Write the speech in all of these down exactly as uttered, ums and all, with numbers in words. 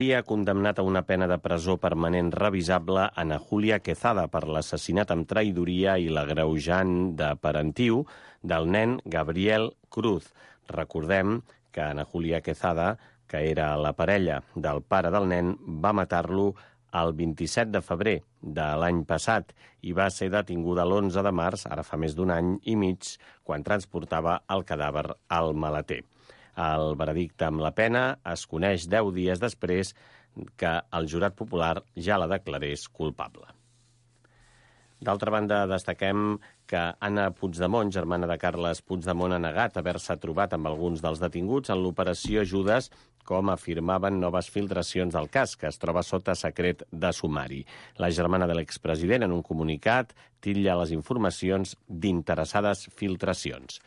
Ha condemnat a una pena de presó permanent revisable Ana Julia Quezada per l'assassinat amb traïdoria i l'agreujant de parentiu del nen Gabriel Cruz. Recordem que Ana Julia Quezada, que era la parella del pare del nen, va matar-lo el vint-i-set de febrer de l'any passat i va ser detinguda l'onze de març, ara fa més d'un any i mig, quan transportava el cadàver al maleter. El veredicte amb la pena es coneix deu dies després que el jurat popular ja la declarés culpable. D'altra banda, destaquem que Anna Puigdemont, germana de Carles Puigdemont, ha negat haver-se trobat amb alguns dels detinguts en l'operació Judes, com afirmaven noves filtracions del cas, que es troba sota secret de sumari. La germana de l'expresident, en un comunicat, titlla les informacions d'interessades filtracions.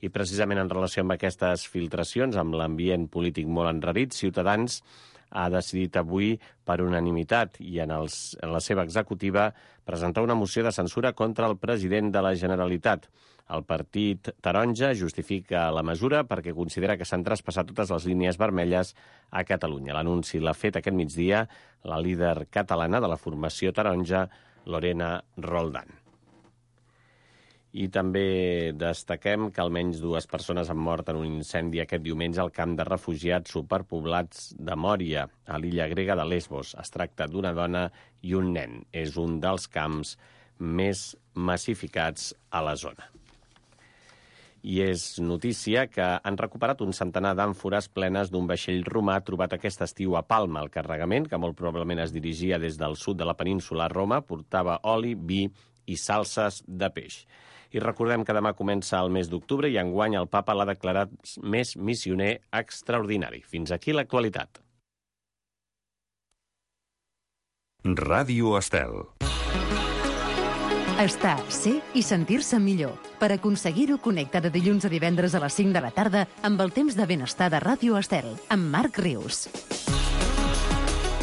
I precisament en relació amb aquestes filtracions, amb l'ambient polític molt enrarit, Ciutadans ha decidit avui, per unanimitat i en, els, en la seva executiva, presentar una moció de censura contra el president de la Generalitat. El partit taronja justifica la mesura perquè considera que s'han traspassat totes les línies vermelles a Catalunya. L'anunci l'ha fet aquest migdia la líder catalana de la formació taronja, Lorena Roldán. I també destaquem que almenys dues persones han mort en un incendi aquest diumenge al camp de refugiats superpoblats de Mòria, a l'illa grega de Lesbos. Es tracta d'una dona i un nen. És un dels camps més massificats a la zona. I és notícia que han recuperat un centenar d'àmfores plenes d'un vaixell romà trobat aquest estiu a Palma. El carregament, que molt probablement es dirigia des del sud de la península a Roma, portava oli, vi i salses de peix. I recordem que demà comença el mes d'octubre i enguany el papa l'ha declarat més missioner extraordinari. Fins aquí l'actualitat. Ràdio Estel. Estar, ser i sentir-se millor. Per aconseguir-ho, connecta de dilluns a divendres a les cinc de la tarda amb el temps de benestar de Ràdio Estel, amb Marc Rius.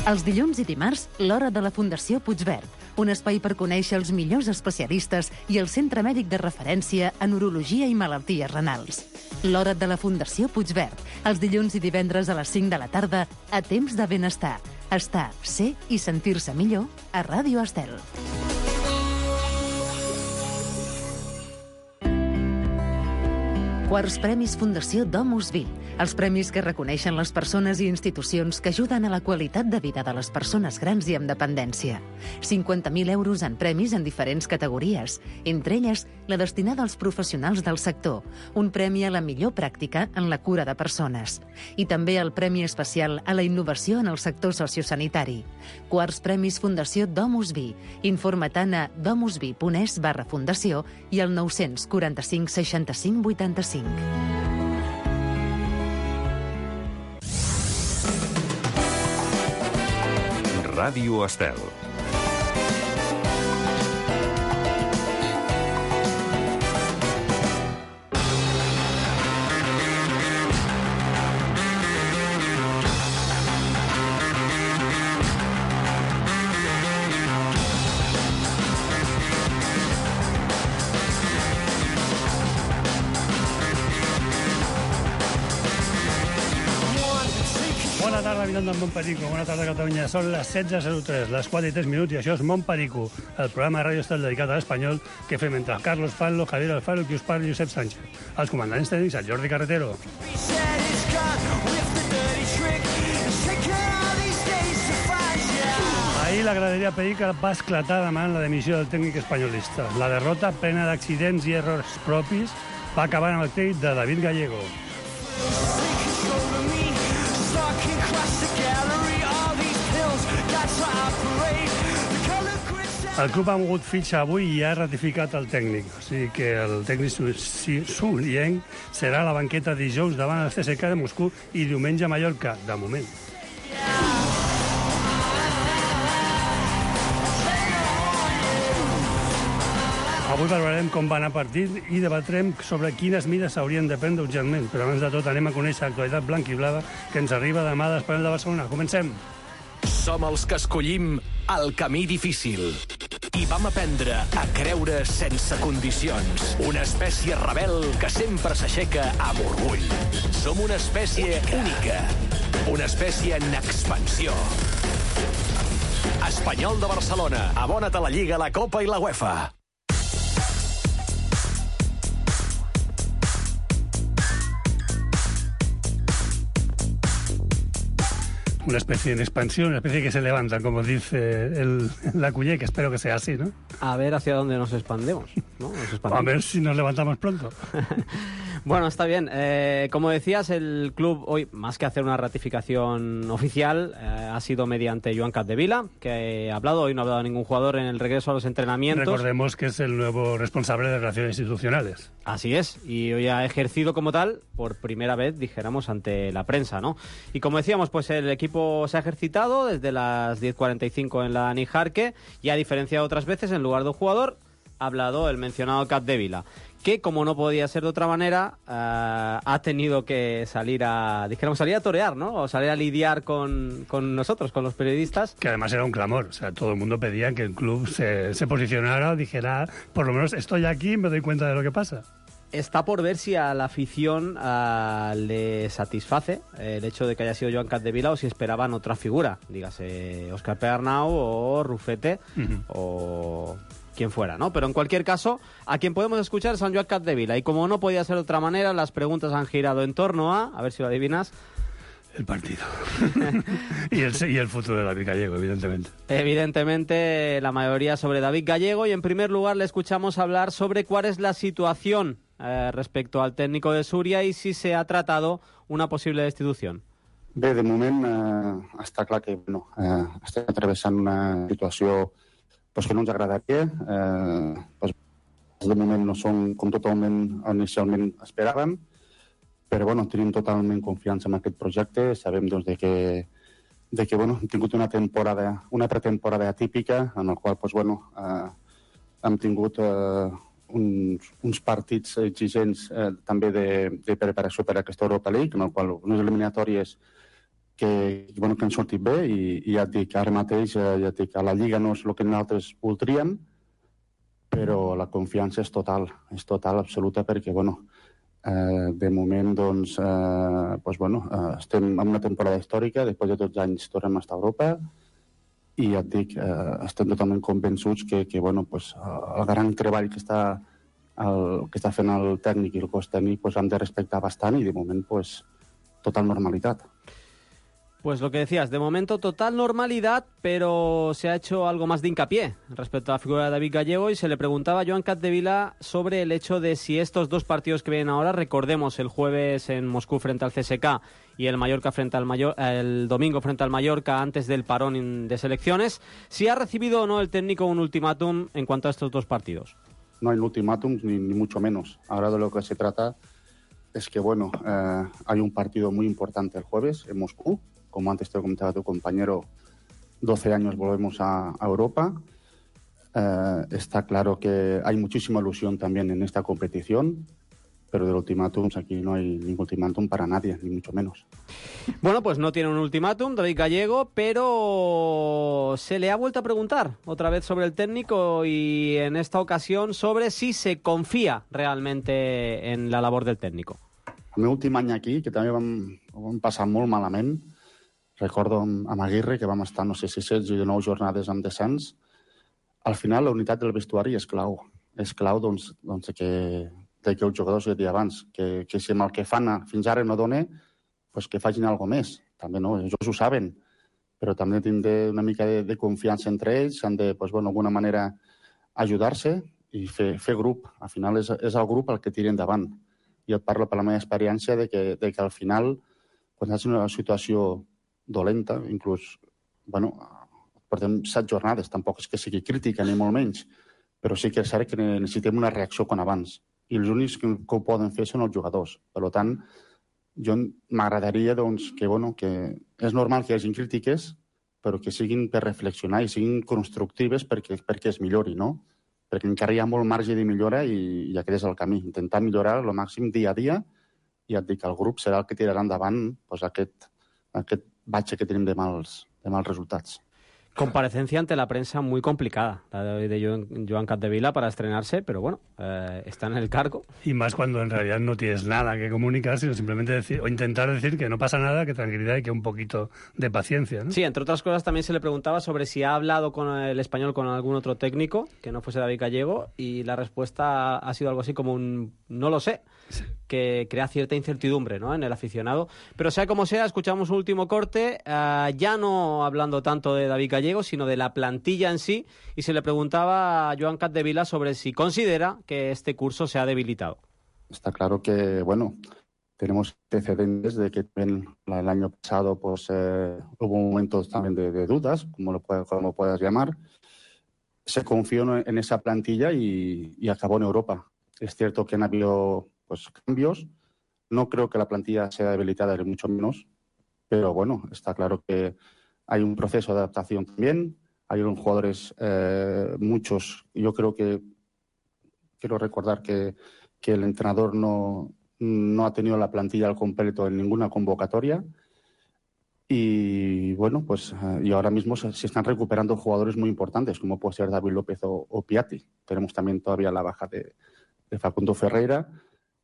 Els dilluns i dimarts, l'hora de la Fundació Puigverd, un espai per conèixer els millors especialistes i el centre mèdic de referència en urologia i malalties renals. L'hora de la Fundació Puigverd, els dilluns i divendres a les cinc de la tarda, a temps de benestar. Estar, ser i sentir-se millor a Ràdio Estel. Quarts Premis Fundació Domus Vi. Els premis que reconeixen les persones i institucions que ajuden a la qualitat de vida de les persones grans i amb dependència. cinquanta mil euros en premis en diferents categories, entre elles la destinada als professionals del sector, un premi a la millor pràctica en la cura de persones. I també el Premi Especial a la Innovació en el sector sociosanitari. Quarts Premis Fundació Domus Vi. Informa-te'n a domusvi.es barra fundació i al nou quatre cinc seixanta-cinc vuitanta-cinc. Ràdio Estel. Bona tarda, habitant del Montperico. Bona tarda, Catalunya. Són les setze zero tres, les quatre i tres minuts, i això és Montperico, el programa de Ràdio Estel dedicat a l'espanyol que fem entre Carlos Fanlo, Javier Alfaro, qui us parla, Josep Sánchez. Els comandants tècnics, el Jordi Carretero. Ahir la graderia Perica va esclatar demanant la dimissió del tècnic espanyolista. La derrota, plena d'accidents i errors propis, va acabar amb el tècnic de David Gallego. El club ha mogut fitxa avui i ha ratificat el tècnic. O sigui que el tècnic Sulien serà a la banqueta dijous davant el C S K de Moscou i diumenge a Mallorca, de moment. Avui valorarem com va anar el partit i debatrem sobre quines mides s'haurien de prendre urgentment. Però abans de tot anem a conèixer l'actualitat blanca i blava que ens arriba demà d'Espanyol de Barcelona. Comencem. Som els que escollim el camí difícil. I vam aprendre a creure sense condicions. Una espècie rebel que sempre s'aixeca amb orgull. Som una espècie única. Una espècie en expansió. Espanyol de Barcelona. Abona't a la Lliga, la Copa i la UEFA. Una especie en expansión, una especie que se levanta, como dice el, la Cullé, que espero que sea así, ¿no? A ver hacia dónde nos expandemos, ¿no? Nos expandemos. A ver si nos levantamos pronto. Bueno, está bien. Eh, como decías, el club hoy, más que hacer una ratificación oficial, eh, ha sido mediante Joan Capdevila, que ha hablado. Hoy no ha hablado ningún jugador en el regreso a los entrenamientos. Recordemos que es el nuevo responsable de Relaciones Institucionales. Así es, y hoy ha ejercido como tal por primera vez, dijéramos, ante la prensa, ¿no? Y como decíamos, pues el equipo se ha ejercitado desde las diez cuarenta y cinco en la Nijarque y, a diferencia de otras veces, en lugar de un jugador, ha hablado el mencionado Capdevila, que, como no podía ser de otra manera, uh, ha tenido que salir a, dijéramos, salir a torear, ¿no? O salir a lidiar con, con nosotros, con los periodistas. Que además era un clamor, o sea, todo el mundo pedía que el club se, se posicionara o dijera, por lo menos estoy aquí y me doy cuenta de lo que pasa. Está por ver si a la afición uh, le satisface eh, el hecho de que haya sido Joan Capdevila o si esperaban otra figura, dígase Óscar Pedernau o Rufete, uh-huh. o quien fuera, ¿no? Pero en cualquier caso, a quien podemos escuchar es a Joan Capdevila, y como no podía ser de otra manera, las preguntas han girado en torno a, a ver si lo adivinas, el partido. y, el, y el futuro de David Gallego, evidentemente. Evidentemente, la mayoría sobre David Gallego, y en primer lugar le escuchamos hablar sobre cuál es la situación eh, respecto al técnico de Súria i si se ha tratado una possible destitució. Bé, de moment eh, està clar que no, eh, estem atravessant una situació pues, que no ens agradaria. Eh, pues, de moment no són com totalment inicialment esperàvem, però bueno, tenim totalment confiança en aquest projecte. Sabem doncs, de que, de que bueno, hem tingut una temporada, una pretemporada atípica, en el qual pues, bueno, eh, hem tingut eh, uns, uns partits exigents eh, també de, de preparació per a aquesta Europa League, en el qual unes eliminatòries que, bueno, que han sortit bé, i, i ja et dic, ara mateix eh, ja et dic, a la Lliga no és el que nosaltres voldríem, però la confiança és total, és total, absoluta, perquè, bueno, eh, de moment, doncs, eh, pues, bueno, eh, estem en una temporada històrica, després de tots els anys tornem a estar a Europa, i ja et dic, eh, estem totalment convençuts que, que bueno, pues, el gran treball que està, el, que està fent el tècnic i el cos tècnic pues, hem de respectar bastant, i de moment, pues, total normalitat. Pues lo que decías, de momento total normalidad, pero se ha hecho algo más de hincapié respecto a la figura de David Gallego, y se le preguntaba a Joan Capdevila sobre el hecho de si estos dos partidos que vienen ahora, recordemos el jueves en Moscú frente al C S K y el Mallorca frente al Mayor, el domingo frente al Mallorca antes del parón de selecciones, si ha recibido o no el técnico un ultimátum en cuanto a estos dos partidos. No hay ultimátum, ni, ni mucho menos. Ahora de lo que se trata es que, bueno, eh, hay un partido muy importante el jueves en Moscú. Como antes te comentaba tu compañero, doce años volvemos a, a Europa. Eh, está claro que hay muchísima ilusión también en esta competición, pero del ultimátum aquí no hay ningún ultimátum para nadie, ni mucho menos. Bueno, pues no tiene un ultimátum David Gallego, pero se le ha vuelto a preguntar otra vez sobre el técnico, y en esta ocasión sobre si se confía realmente en la labor del técnico. El meu últim any aquí, que també vam, vam passar molt malament, recordo amb Aguirre, que vam estar, no sé si setze o dinou jornades amb descens. Al final, la unitat del vestuari és clau. És clau, doncs, doncs que, de que els jugadors, ja dia abans, que, que si amb el que fan fins ara no dona, pues que facin alguna més. També no, ells ho saben, però també tindre una mica de, de confiança entre ells, han de, pues, bueno, d'alguna manera ajudar-se i fer, fer grup. Al final és, és el grup el que tira endavant. I et parlo per la meva experiència de que, de que al final, quan estàs en una situació dolenta, inclús, bueno, portem set jornades, tampoc és que sigui crítica ni molt menys, però sí que és cert que necessitem una reacció com abans, i els únics que, que ho poden fer són els jugadors. Per tant, jo m'agradaria doncs, que, bueno, que és normal que hi hagi crítiques, però que siguin per reflexionar i siguin constructives perquè, perquè es millori, no? Perquè encara hi ha molt marge de millora, i, i aquest és el camí, intentar millorar el màxim dia a dia, i et dic que el grup serà el que tirarà endavant doncs, aquest, aquest batxe que tenim de mals, de mals resultats. Comparecencia ante la prensa muy complicada, la de, de Joan, Joan Capdevila para estrenarse, pero bueno, eh, está en el cargo. Y más cuando en realidad no tienes nada que comunicar, sino simplemente decir, o intentar decir que no pasa nada, que tranquilidad y que un poquito de paciencia, ¿no? Sí, entre otras cosas también se le preguntaba sobre si ha hablado con el español con algún otro técnico, que no fuese David Gallego, y la respuesta ha sido algo así como un no lo sé, sí, que crea cierta incertidumbre, ¿no?, en el aficionado. Pero sea como sea, escuchamos un último corte, uh, ya no hablando tanto de David Gallego, sino de la plantilla en sí, y se le preguntaba a Joan Capdevila sobre si considera que este curso se ha debilitado. Está claro que, bueno, tenemos antecedentes de que el año pasado pues eh, hubo momentos también de, de dudas, como lo puedas, como puedas llamar. Se confió en esa plantilla y, y acabó en Europa. Es cierto que han habido pues, cambios. No creo que la plantilla sea debilitada, ni mucho menos. Pero bueno, está claro que hay un proceso de adaptación también. Hay unos jugadores, eh, muchos. Yo creo que quiero recordar que, que el entrenador no, no ha tenido la plantilla al completo en ninguna convocatoria. Y bueno, pues y ahora mismo se, se están recuperando jugadores muy importantes, como puede ser David López o, o Piatti. Tenemos también todavía la baja de, de Facundo Ferreira,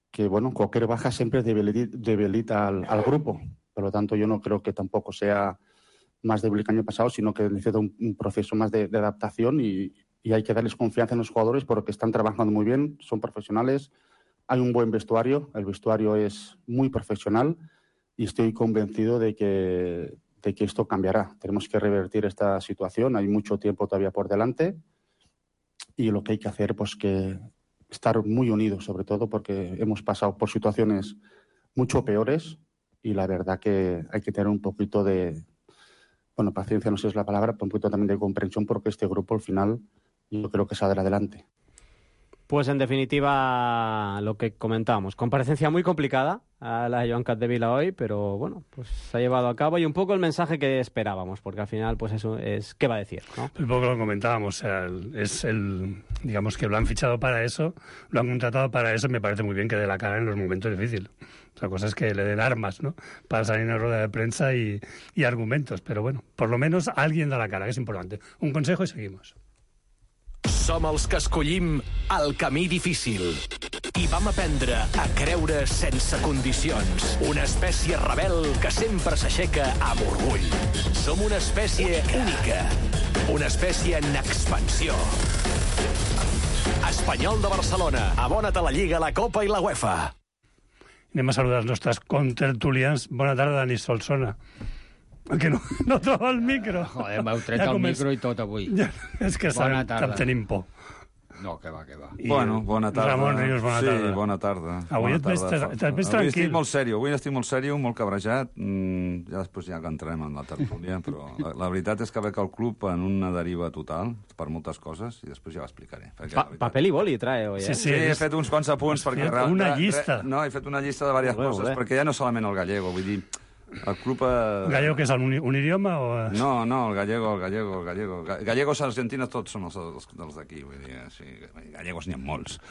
que bueno, cualquier baja siempre debilita, debilita al, al grupo. Por lo tanto, yo no creo que tampoco sea más débil que el año pasado, sino que necesita un, un proceso más de, de adaptación y, y hay que darles confianza en los jugadores porque están trabajando muy bien, son profesionales, hay un buen vestuario, el vestuario es muy profesional y estoy convencido de que, de que esto cambiará. Tenemos que revertir esta situación, hay mucho tiempo todavía por delante y lo que hay que hacer pues que estar muy unidos, sobre todo porque hemos pasado por situaciones mucho peores y la verdad que hay que tener un poquito de, bueno, paciencia no sé si es la palabra, pero un poquito también de comprensión porque este grupo al final yo creo que saldrá adelante. Pues en definitiva, lo que comentábamos, comparecencia muy complicada a la de Joan Capdevila hoy, pero bueno, pues se ha llevado a cabo y un poco el mensaje que esperábamos, porque al final, pues eso es, ¿qué va a decir?, ¿no? Un poco lo comentábamos, o sea, es el, digamos que lo han fichado para eso, lo han contratado para eso, me parece muy bien que dé la cara en los momentos difíciles. Otra cosa es que le den armas, ¿no?, para salir en la rueda de prensa y, y argumentos, pero bueno, por lo menos alguien da la cara, que es importante. Un consejo y seguimos. Som els que escollim el camí difícil i vam aprendre a creure sense condicions. Una espècie rebel que sempre s'aixeca amb orgull. Som una espècie única, una espècie en expansió. Espanyol de Barcelona, abona't a la Lliga, la Copa i la UEFA. Anem a saludar els nostres contertulians. Bona tarda, Dani Solsona. Que no, no troba el micro. Joder, m'heu tret ja el començ... micro i tot avui. Ja, és que bona tarda. Tenim por. No, que va, que va. I bueno, bona tarda. Ramon Rius, bona sí, tarda. Sí, bona tarda. Avui bona et ves tranquil. Avui estic molt sèrio, avui estic molt sèrio, molt cabrejat. Mm, ja després ja que entrem en la tertúlia, però la, la veritat és que veig el club en una deriva total, per moltes coses, i després ja l'explicaré. Pa veritat... Papel i boli trae, oi, eh? Sí, sí, sí he fet uns quants apunts perquè... Una llista. Re, no, he fet una llista de diverses coses, bé. Perquè ja no solament el gallego, vull dir... El club... Eh... Gallego que és un, un idioma o...? No, no, el gallego, el gallego, el gallego. Gallegos argentines tots són els, els, els d'aquí, vull dir, sí, gallegos n'hi ha molts.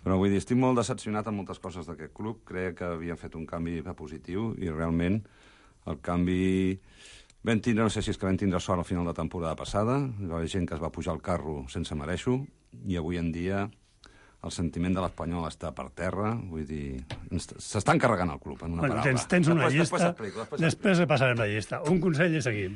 Però vull dir, estic molt decepcionat amb moltes coses d'aquest club, crec que havien fet un canvi positiu i realment el canvi... Vam tindre, no sé si és que vam tindre sort al final de temporada passada, hi va haver gent que es va pujar al carro sense mereixo i avui en dia... El sentiment de l'Espanyol està per terra, vull dir... S'estan carregant el club, en una bueno, paraula. Tens, tens una després, llista, després, després, després passarem la llista. Un consell i seguim.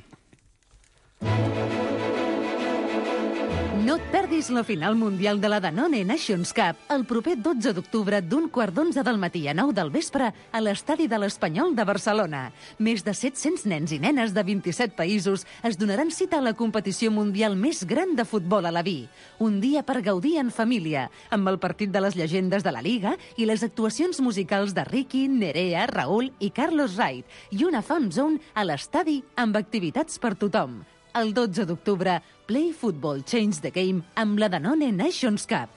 No et perdis la final mundial de la Danone Nations Cup el proper dotze d'octubre d'un quart d'onze del matí a nou del vespre a l'estadi de l'Espanyol de Barcelona. Més de set-cents nens i nenes de vint-i-set països es donaran cita a la competició mundial més gran de futbol a la V I. Un dia per gaudir en família, amb el partit de les llegendes de la Liga i les actuacions musicals de Ricky, Nerea, Raúl i Carlos Wright i una fan zone a l'estadi amb activitats per tothom. El dotze d'octubre, Play Football Change the Game amb la Danone Nations Cup.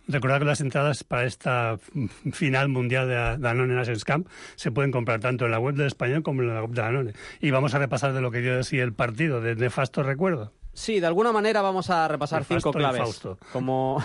Recordad que las entradas para esta final mundial de Danone Nations Cup se pueden comprar tanto en la web del Español como en la web de Danone. Y vamos a repasar de lo que dio así el partido, de nefasto recuerdo. Sí, de alguna manera vamos a repasar cinco claves. Fausto. Como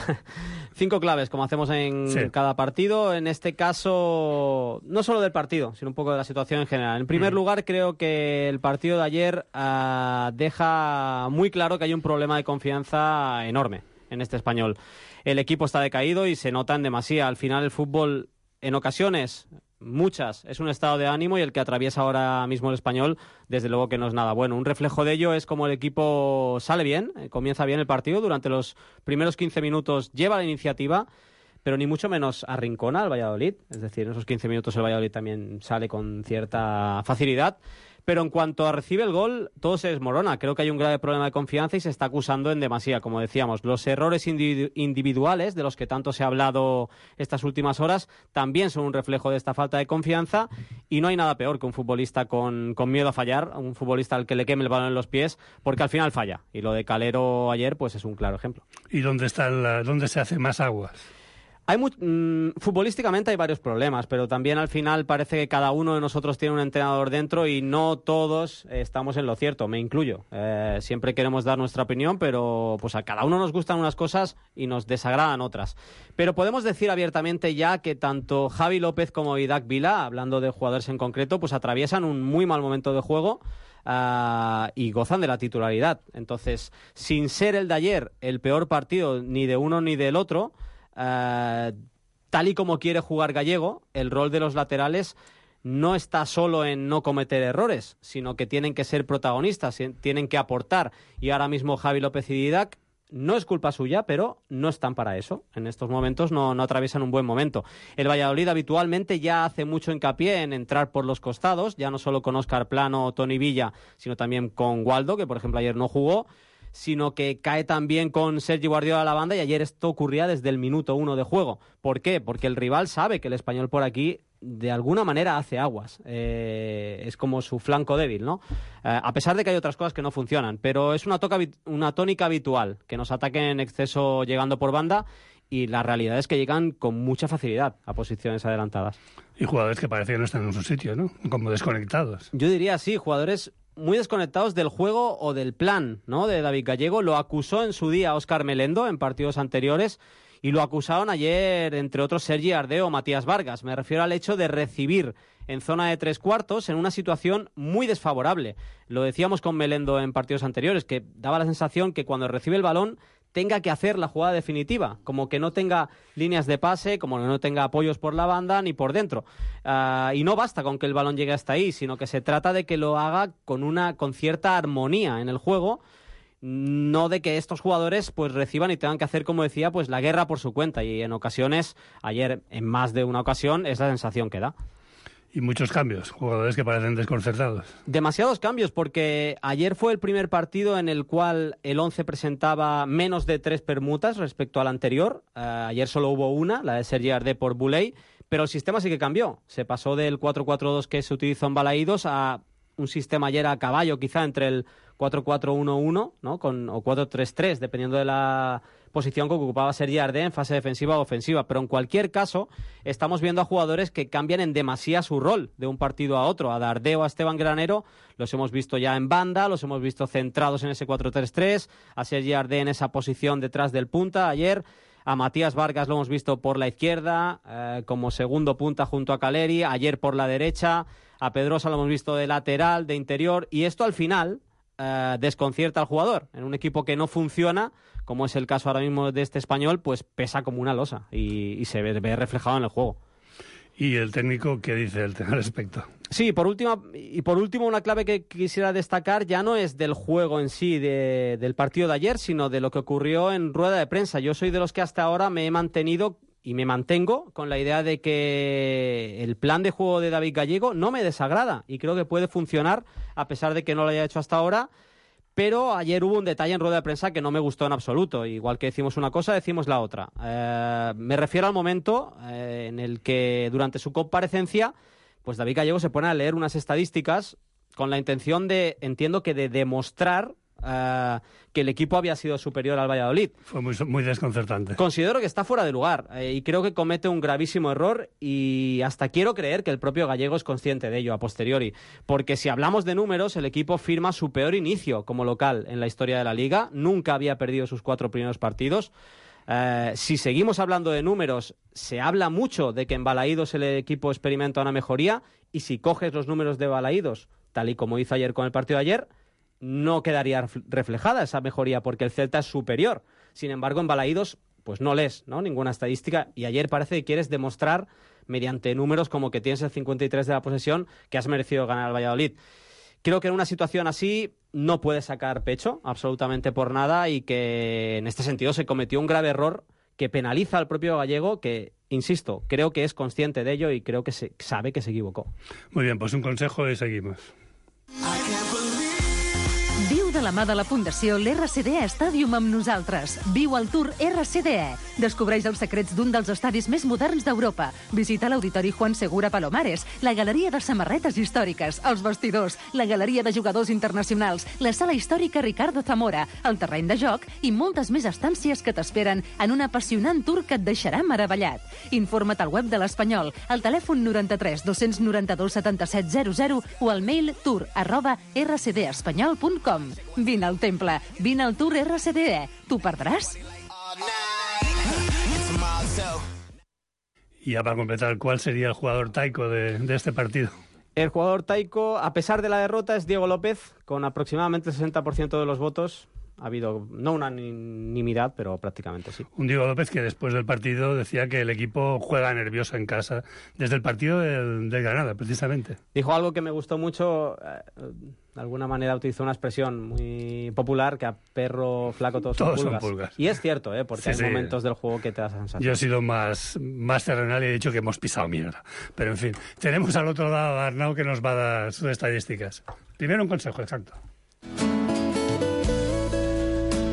cinco claves, como hacemos en sí. cada partido. En este caso, no solo del partido, sino un poco de la situación en general. En primer mm. lugar, creo que el partido de ayer uh, deja muy claro que hay un problema de confianza enorme en este Español. El equipo está decaído y se nota en demasía. Al final, el fútbol, en ocasiones, muchas, es un estado de ánimo, y el que atraviesa ahora mismo el Español, desde luego que no es nada bueno. Un reflejo de ello es como el equipo sale bien, comienza bien el partido, durante los primeros quince minutos lleva la iniciativa, pero ni mucho menos arrincona al Valladolid. Es decir, en esos quince minutos el Valladolid también sale con cierta facilidad. Pero en cuanto a recibe el gol, todo se desmorona. Creo que hay un grave problema de confianza y se está acusando en demasía, como decíamos. Los errores individu- individuales, de los que tanto se ha hablado estas últimas horas, también son un reflejo de esta falta de confianza, y no hay nada peor que un futbolista con, con miedo a fallar, un futbolista al que le queme el balón en los pies, porque al final falla. Y lo de Calero ayer pues es un claro ejemplo. ¿Y dónde está la, dónde se hace más aguas? Hay muy, mmm, futbolísticamente hay varios problemas, pero también al final parece que cada uno de nosotros tiene un entrenador dentro y no todos estamos en lo cierto, me incluyo. Eh, siempre queremos dar nuestra opinión, pero pues a cada uno nos gustan unas cosas y nos desagradan otras. Pero podemos decir abiertamente ya que tanto Javi López como Idak Vila, hablando de jugadores en concreto, pues atraviesan un muy mal momento de juego. Uh, y gozan de la titularidad. Entonces, sin ser el de ayer el peor partido ni de uno ni del otro, Uh, tal y como quiere jugar Gallego, el rol de los laterales no está solo en no cometer errores, sino que tienen que ser protagonistas, tienen que aportar, y ahora mismo Javi López y Didac no es culpa suya, pero no están para eso. En estos momentos no, no atraviesan un buen momento. El Valladolid habitualmente ya hace mucho hincapié en entrar por los costados, ya no solo con Óscar Plano o Toni Villa, sino también con Waldo, que por ejemplo ayer no jugó, sino que cae también con Sergi Guardiola a la banda, y ayer esto ocurría desde el minuto uno de juego. ¿Por qué? Porque el rival sabe que el Español por aquí de alguna manera hace aguas. Eh, es como su flanco débil, ¿no? Eh, a pesar de que hay otras cosas que no funcionan, pero es una, toca, una tónica habitual, que nos ataquen en exceso llegando por banda, y la realidad es que llegan con mucha facilidad a posiciones adelantadas. Y jugadores que parecen no están en su sitio, ¿no? Como desconectados. Yo diría sí, jugadores muy desconectados del juego o del plan, ¿no?, de David Gallego. Lo acusó en su día Óscar Melendo en partidos anteriores, y lo acusaron ayer, entre otros, Sergi Ardeo o Matías Vargas. Me refiero al hecho de recibir en zona de tres cuartos en una situación muy desfavorable. Lo decíamos con Melendo en partidos anteriores, que daba la sensación que cuando recibe el balón tenga que hacer la jugada definitiva, como que no tenga líneas de pase, como que no tenga apoyos por la banda ni por dentro. Uh, y no basta con que el balón llegue hasta ahí, sino que se trata de que lo haga con una con cierta armonía en el juego, no de que estos jugadores pues reciban y tengan que hacer, como decía, pues la guerra por su cuenta. Y en ocasiones, ayer en más de una ocasión, es la sensación que da. Y muchos cambios, jugadores que parecen desconcertados. Demasiados cambios, porque ayer fue el primer partido en el cual el once presentaba menos de tres permutas respecto al anterior. Uh, ayer solo hubo una, la de Sergi Ardé por Boulay, pero el sistema sí que cambió. Se pasó del cuatro cuatro dos que se utilizó en Balaídos a un sistema ayer a caballo, quizá entre el cuatro cuatro uno uno, ¿no?, con, o cuatro tres tres, dependiendo de la posición que ocupaba Sergi Ardé en fase defensiva o ofensiva. Pero en cualquier caso, estamos viendo a jugadores que cambian en demasía su rol de un partido a otro. A Dardé o a Esteban Granero los hemos visto ya en banda, los hemos visto centrados en ese cuatro tres tres, a Sergi Ardé en esa posición detrás del punta ayer. A Matías Vargas lo hemos visto por la izquierda, eh, como segundo punta junto a Caleri, ayer por la derecha. A Pedrosa lo hemos visto de lateral, de interior, y esto al final eh, desconcierta al jugador. En un equipo que no funciona, como es el caso ahora mismo de este Español, pues pesa como una losa y, y se ve, ve reflejado en el juego. ¿Y el técnico qué dice al respecto? Sí, por última, y por último, una clave que quisiera destacar ya no es del juego en sí, de, del partido de ayer, sino de lo que ocurrió en rueda de prensa. Yo soy de los que hasta ahora me he mantenido y me mantengo con la idea de que el plan de juego de David Gallego no me desagrada y creo que puede funcionar a pesar de que no lo haya hecho hasta ahora. Pero ayer hubo un detalle en rueda de prensa que no me gustó en absoluto. Igual que decimos una cosa, decimos la otra. Eh, me refiero al momento eh, en el que durante su comparecencia, pues David Gallego se pone a leer unas estadísticas con la intención de, entiendo que de demostrar eh, que el equipo había sido superior al Valladolid. Fue muy, muy desconcertante. Considero que está fuera de lugar eh, y creo que comete un gravísimo error y hasta quiero creer que el propio Gallego es consciente de ello a posteriori, porque si hablamos de números, el equipo firma su peor inicio como local en la historia de la Liga, nunca había perdido sus cuatro primeros partidos. Eh, si seguimos hablando de números, se habla mucho de que en Balaídos el equipo experimenta una mejoría, y si coges los números de Balaídos, tal y como hizo ayer con el partido de ayer, no quedaría reflejada esa mejoría porque el Celta es superior. Sin embargo, en Balaídos pues no lees, ¿no?, ninguna estadística, y ayer parece que quieres demostrar mediante números como que tienes el cincuenta y tres de la posesión que has merecido ganar al Valladolid. Creo que en una situación así no puede sacar pecho absolutamente por nada y que en este sentido se cometió un grave error que penaliza al propio Gallego, que, insisto, creo que es consciente de ello y creo que se, sabe que se equivocó. Muy bien, pues un consejo y seguimos. Viu de la mà de la Fundació l'R C D E Stadium amb nosaltres. Viu el Tour R C D E. Descobreix els secrets d'un dels estadis més moderns d'Europa. Visita l'Auditori Juan Segura Palomares, la Galeria de Samarretes Històriques, els vestidors, la Galeria de Jugadors Internacionals, la Sala Històrica Ricardo Zamora, el terreny de joc i moltes més estàncies que t'esperen en un apassionant tour que et deixarà meravellat. Informa't al web de l'Espanyol, al telèfon noranta-tres dos noranta-dos setanta-set zero zero o al mail tour arroba r c d espanyol punt com. Vine al temple, vine al Tour R C D E. ¿T'ho perdràs? Y ya para completar, ¿cuál sería el jugador taico de, de este partido? El jugador taico, a pesar de la derrota, es Diego López, con aproximadamente el sesenta por ciento de los votos. Ha habido, no unanimidad, pero prácticamente sí. Un Diego López que después del partido decía que el equipo juega nervioso en casa, desde el partido del, del Granada, precisamente. Dijo algo que me gustó mucho, eh, de alguna manera utilizó una expresión muy popular, que a perro flaco todos, todos son, pulgas. son pulgas. Y es cierto, ¿eh? Porque sí, hay sí. momentos del juego que te da esa sensación. Yo he sido más, más terrenal y he dicho que hemos pisado mierda. Pero en fin, tenemos al otro lado a Arnau que nos va a dar sus estadísticas. Primero un consejo, exacto.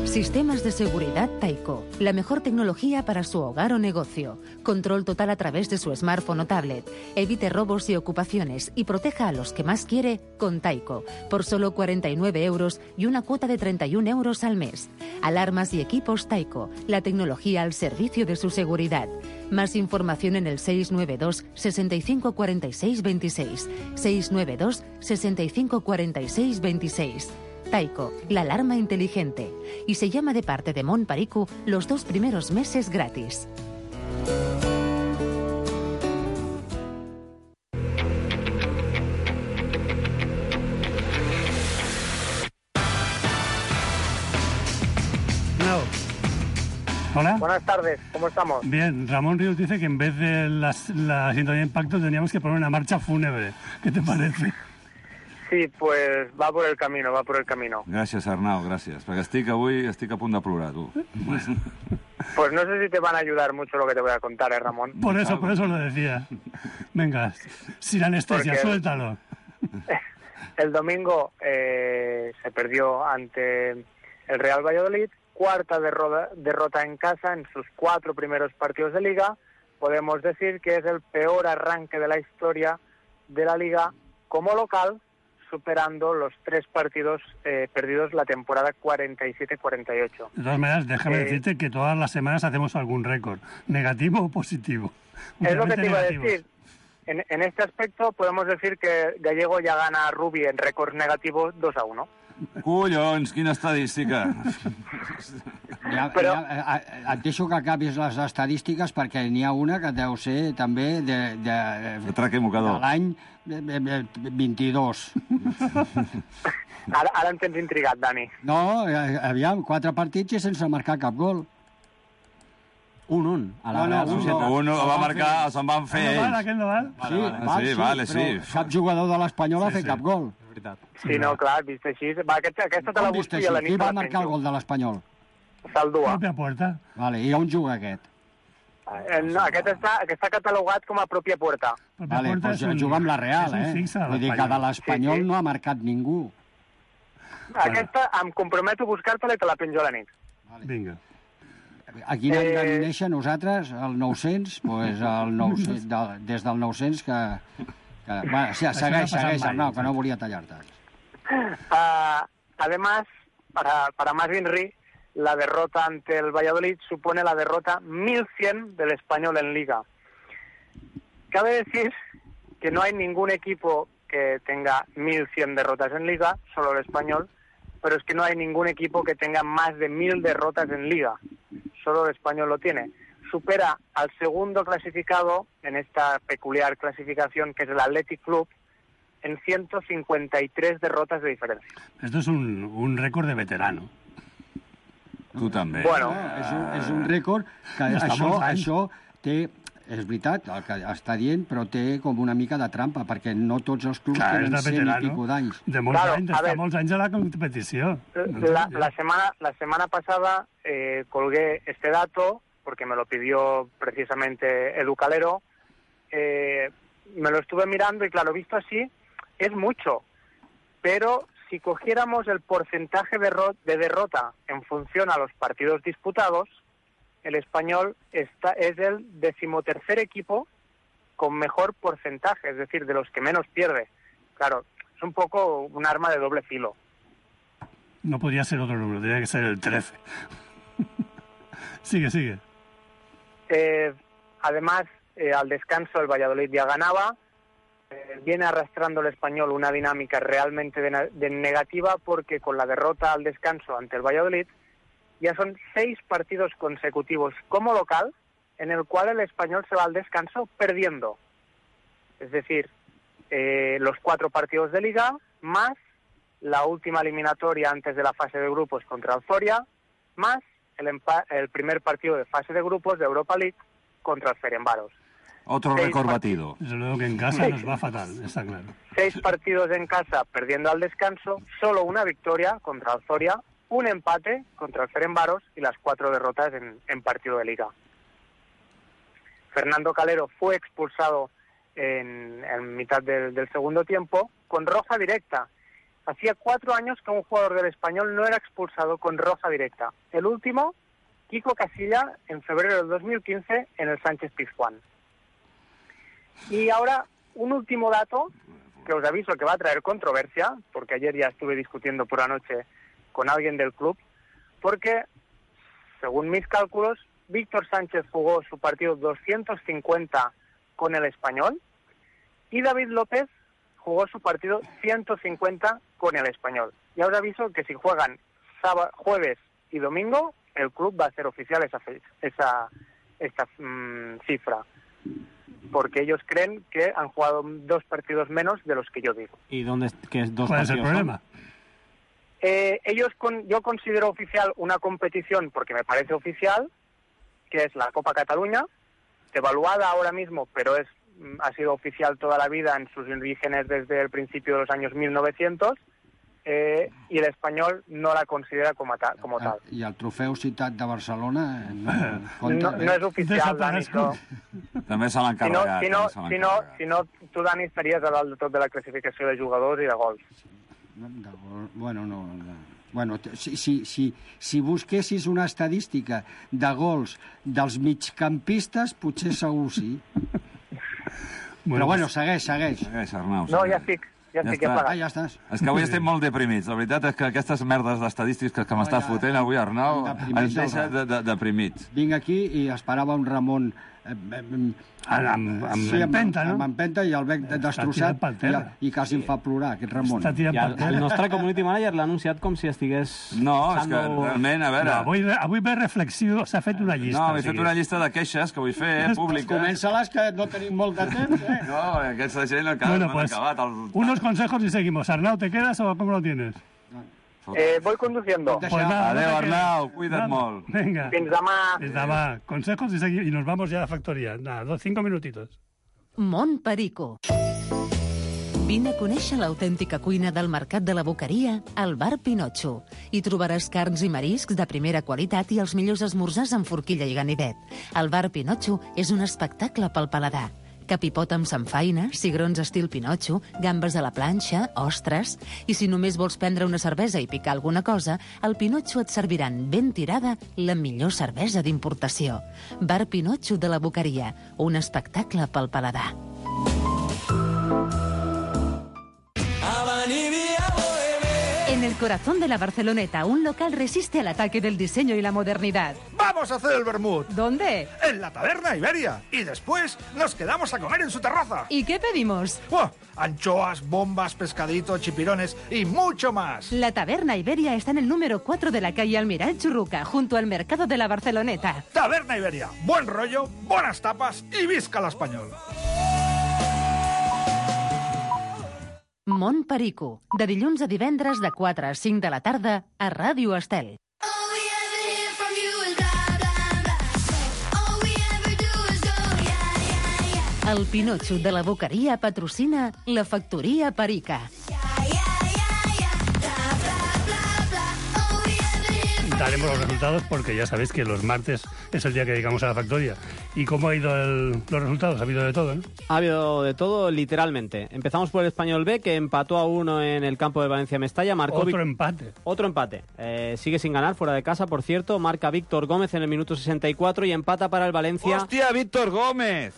Sistemas de seguridad Taiko. La mejor tecnología para su hogar o negocio. Control total a través de su smartphone o tablet. Evite robos y ocupaciones y proteja a los que más quiere con Taiko. Por solo cuarenta y nueve euros y una cuota de treinta y un euros al mes. Alarmas y equipos Taiko. La tecnología al servicio de su seguridad. Más información en el seis nueve dos, sesenta y cinco, cuarenta y seis, veintiséis. seis nueve dos, sesenta y cinco, cuarenta y seis, veintiséis. Taiko, la alarma inteligente. Y se llama de parte de Mon Pariku los dos primeros meses gratis. No. Hola. Buenas tardes, ¿cómo estamos? Bien, Ramón Ríos dice que en vez de las, la sintonía de impacto teníamos que poner una marcha fúnebre. ¿Qué te parece? Sí, pues va por el camino, va por el camino. Gràcies, Arnau, gràcies. Perquè estic avui estic a punt de plorar, tu. Pues no sé si te van a ayudar mucho lo que te voy a contar, ¿eh, Ramón? Por eso, por eso lo decía. Venga, sin anestesia, Porque suéltalo. El domingo eh, se perdió ante el Real Valladolid, cuarta derrota, derrota en casa en sus cuatro primeros partidos de Liga. Podemos decir que es el peor arranque de la historia de la Liga como local, superando los tres partidos eh, perdidos la temporada cuarenta y siete cuarenta y ocho. De todas maneras, déjame eh, decirte que todas las semanas hacemos algún récord, negativo o positivo. Es lo que te iba a decir. En, en este aspecto podemos decir que Gallego ya gana a Rubi en récord negativo dos a uno. Collons, quina estadística! Ja, Però... ja, et deixo que acabis les estadístiques perquè n'hi ha una que deu ser també de, de, de, de l'any vint-i-dos. Ara, ara em tens intrigat, Dani. No, aviam, quatre partits i sense marcar cap gol. Un, un. A la no, no, un, un va marcar, se'n van fer ells. Aquell no val, aquell no val? Sí, vale, sí, però cap jugador de l'Espanyol ha fet cap gol. Sí, no, clar, vist així... Va, aquesta, aquesta te la busco i a la nit... Qui va marcar el gol de l'Espanyol? Saldua. Pròpia puerta. Vale, i on juga aquest? Eh, no, aquest està, aquest està catalogat com a pròpia puerta. Vale, doncs un, juga amb la Real, eh? Vull dir que de l'Espanyol sí, sí. no ha marcat ningú. Aquesta em comprometo a buscar-te-la i te la penjo a la nit. Vale. Vinga. A quin any vam néixer nosaltres? El nou-cents? Pues el nou-cents, de, des del nou-cents que... que bueno, sí, segueix, segueix, Arnau, que no volia tallar-te. Uh, además, para, para más Inri, la derrota ante el Valladolid supone la derrota mil cien del Español en Liga. Cabe decir que no hay ningún equipo que tenga mil cien derrotas en Liga, solo el Español, pero es que no hay ningún equipo que tenga más de mil derrotas en Liga, solo el Español lo tiene. Supera al segundo clasificado en esta peculiar clasificación, que es el Athletic Club, en ciento cincuenta y tres derrotas de diferencia. Esto es un, un récord de veterano. Tu també. Bueno, és un, és un rècord que Està això, molts anys. això té, és veritat, el que està dient, però té com una mica de trampa, perquè no tots els clubs Clar, és tenen de cent i veterano. pico d'anys. De molts Claro, anys, a està ver. molts anys a la competició. La, la, semana, la semana pasada eh, colgué este dato, porque me lo pidió precisamente Edu Calero, eh, me lo estuve mirando y claro, visto así, es mucho, pero si cogiéramos el porcentaje de, de derrota en función a los partidos disputados, el Español está, es el decimotercer equipo con mejor porcentaje, es decir, de los que menos pierde. Claro, es un poco un arma de doble filo. No podía ser otro número, tenía que ser el trece. Sigue, sigue. Eh, además, eh, al descanso el Valladolid ya ganaba. Eh, viene arrastrando el Español una dinámica realmente de, de negativa, porque con la derrota al descanso ante el Valladolid ya son seis partidos consecutivos como local en el cual el Español se va al descanso perdiendo. Es decir, eh, los cuatro partidos de Liga más la última eliminatoria antes de la fase de grupos contra el Zoria, más el, el primer partido de fase de grupos de Europa League contra el Ferencváros. Otro Seis récord part- batido. Desde luego que en casa nos va fatal, está claro. Seis partidos en casa perdiendo al descanso, solo una victoria contra el Zoria, un empate contra el Ferencváros y las cuatro derrotas en, en partido de Liga. Fernando Calero fue expulsado en, en mitad del, del segundo tiempo con roja directa. Hacía cuatro años que un jugador del Español no era expulsado con roja directa. El último, Kiko Casilla, en febrero del dos mil quince en el Sánchez Pizjuán. Y ahora, un último dato que os aviso que va a traer controversia, porque ayer ya estuve discutiendo por la noche con alguien del club, porque, según mis cálculos, Víctor Sánchez jugó su partido doscientos cincuenta con el Español y David López jugó su partido ciento cincuenta con el Español. Ya os aviso que si juegan sábado, jueves y domingo, el club va a hacer oficial esa, esa esta mmm, cifra, porque ellos creen que han jugado dos partidos menos de los que yo digo. ¿Y dónde que es dos ¿Cuál es el partidos, problema? Eh, ellos con, yo considero oficial una competición, porque me parece oficial, que es la Copa Cataluña, evaluada ahora mismo, pero es ha sido oficial toda la vida en sus orígenes desde el principio de los años mil novecientos, eh, y el Español no la considera como, ta, como tal. I el trofeu Ciutat de Barcelona no, no, no es oficial, Dani. No. També se l'han Si no, carregat. si, no, també se l'han si, no, carregat. si no, tu, Dani, estaries a dalt de tot de la classificació de jugadors i de gols. De gol, bueno, no, no. Bueno, si, si, si, si busquessis una estadística de gols dels migcampistes, potser segur sí. Però bueno, segueix, segueix. Segueix, Arnau. No, segueix. ja estic, ja estic, està. ja Ah, pagat. ja estàs. És que avui estem molt deprimits. La veritat és que aquestes merdes d'estadístiques que m'estàs ja, fotent avui, Arnau, deprimits, ens deixa Albert. de, de, deprimits. Vinc aquí i esperava un Ramon eh, eh, Amb, amb sí, amb, empenta, no? amb empenta i el bec destrossat tirat pel i, terra. i quasi em fa plorar, aquest Ramon. Està tirant I el, per el terra. nostre community manager l'ha anunciat com si estigués... No, és que passant-ho- realment, a veure... No, avui, avui ve reflexiu, s'ha fet una llista. No, o he fet sigui. una llista de queixes que vull fer, eh, públiques. Comença-les, que no tenim molt de temps, eh? No, aquesta gent encara Bueno, no han pues, acabat. El... unos consejos y seguimos. Arnau, ¿te quedas o cómo lo tienes? Eh, voy conduciendo. Pues nada, Adeu, no te quedes. Arnau, cuida't Nada. molt. Venga. Fins demà. Fins demà. Consejos y, segui- y nos vamos ya a la factoría. Nada, dos, cinco minutitos. Mont Perico. Vine a conèixer l'autèntica cuina del Mercat de la Boqueria al Bar Pinotxo. Hi trobaràs carns i mariscs de primera qualitat i els millors esmorzars amb forquilla i ganivet. El Bar Pinotxo és un espectacle pel paladar. Capipot amb samfaina, cigrons estil Pinotxo, gambes a la planxa, ostres... I si només vols prendre una cervesa i picar alguna cosa, al Pinotxo et serviran ben tirada la millor cervesa d'importació. Bar Pinotxo de la Boqueria, un espectacle pel paladar. En En el corazón de la Barceloneta, un local resiste al ataque del diseño y la modernidad. ¡Vamos a hacer el vermut! ¿Dónde? En la Taberna Iberia. Y después nos quedamos a comer en su terraza. ¿Y qué pedimos? ¡Buah! Anchoas, bombas, pescadito, chipirones y mucho más. La Taberna Iberia está en el número cuatro de la calle Almiral Churruca, junto al mercado de la Barceloneta. Taberna Iberia. Buen rollo, buenas tapas y visca l'espanyol. Mont Perico, de dilluns a divendres de quatre a cinc de la tarda a Ràdio Estel. El Pinotxo de la Boqueria patrocina la Factoria Perica. Daremos los resultados porque ya sabéis que los martes es el día que dedicamos a la factoría. ¿Y cómo ha ido el, los resultados? Ha habido de todo, ¿no? Ha habido de todo, literalmente. Empezamos por el Español B, que empató a uno en el campo de Valencia-Mestalla. Marcó Otro Vic... empate. Otro empate. Eh, sigue sin ganar, fuera de casa, por cierto. Marca Víctor Gómez en el minuto sesenta y cuatro y empata para el Valencia. ¡Hostia, Víctor Gómez!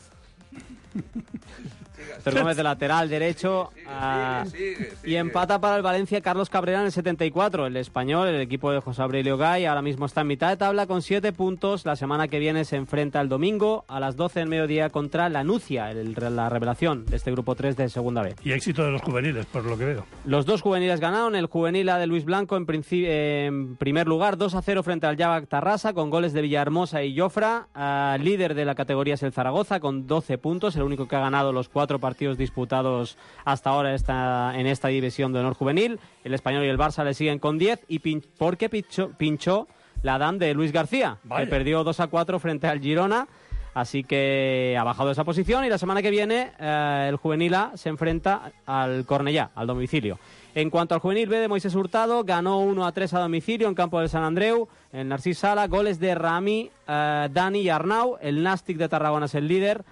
Víctor Gómez de lateral derecho. Uh, sigue, sigue, sigue. Y empata para el Valencia Carlos Cabrera en el setenta y cuatro. El español, el equipo de José Aurelio Gay, ahora mismo está en mitad de tabla con siete puntos. La semana que viene se enfrenta el domingo a las doce del mediodía contra la Nucia, el, la revelación de este grupo tres de Segunda B. Y éxito de los juveniles, por lo que veo. Los dos juveniles ganaron. El juvenil A de Luis Blanco en, eh, en primer lugar, dos a cero frente al Javac Tarrasa, con goles de Villahermosa y Jofra. Uh, líder de la categoría es el Zaragoza con doce puntos, el único que ha ganado los cuatro partidos disputados hasta ahora esta, en esta división de honor juvenil. El Español y el Barça le siguen con diez y pin, porque pinchó, pinchó la D A M de Luis García, Vaya. que perdió dos a cuatro frente al Girona, así que ha bajado esa posición y la semana que viene eh, el juvenil A se enfrenta al Cornellá, al domicilio. En cuanto al juvenil B de Moisés Hurtado, ganó uno a tres a domicilio en campo del Sant Andreu, en Narcís Sala, goles de Rami, eh, Dani y Arnau. El Nàstic de Tarragona es el líder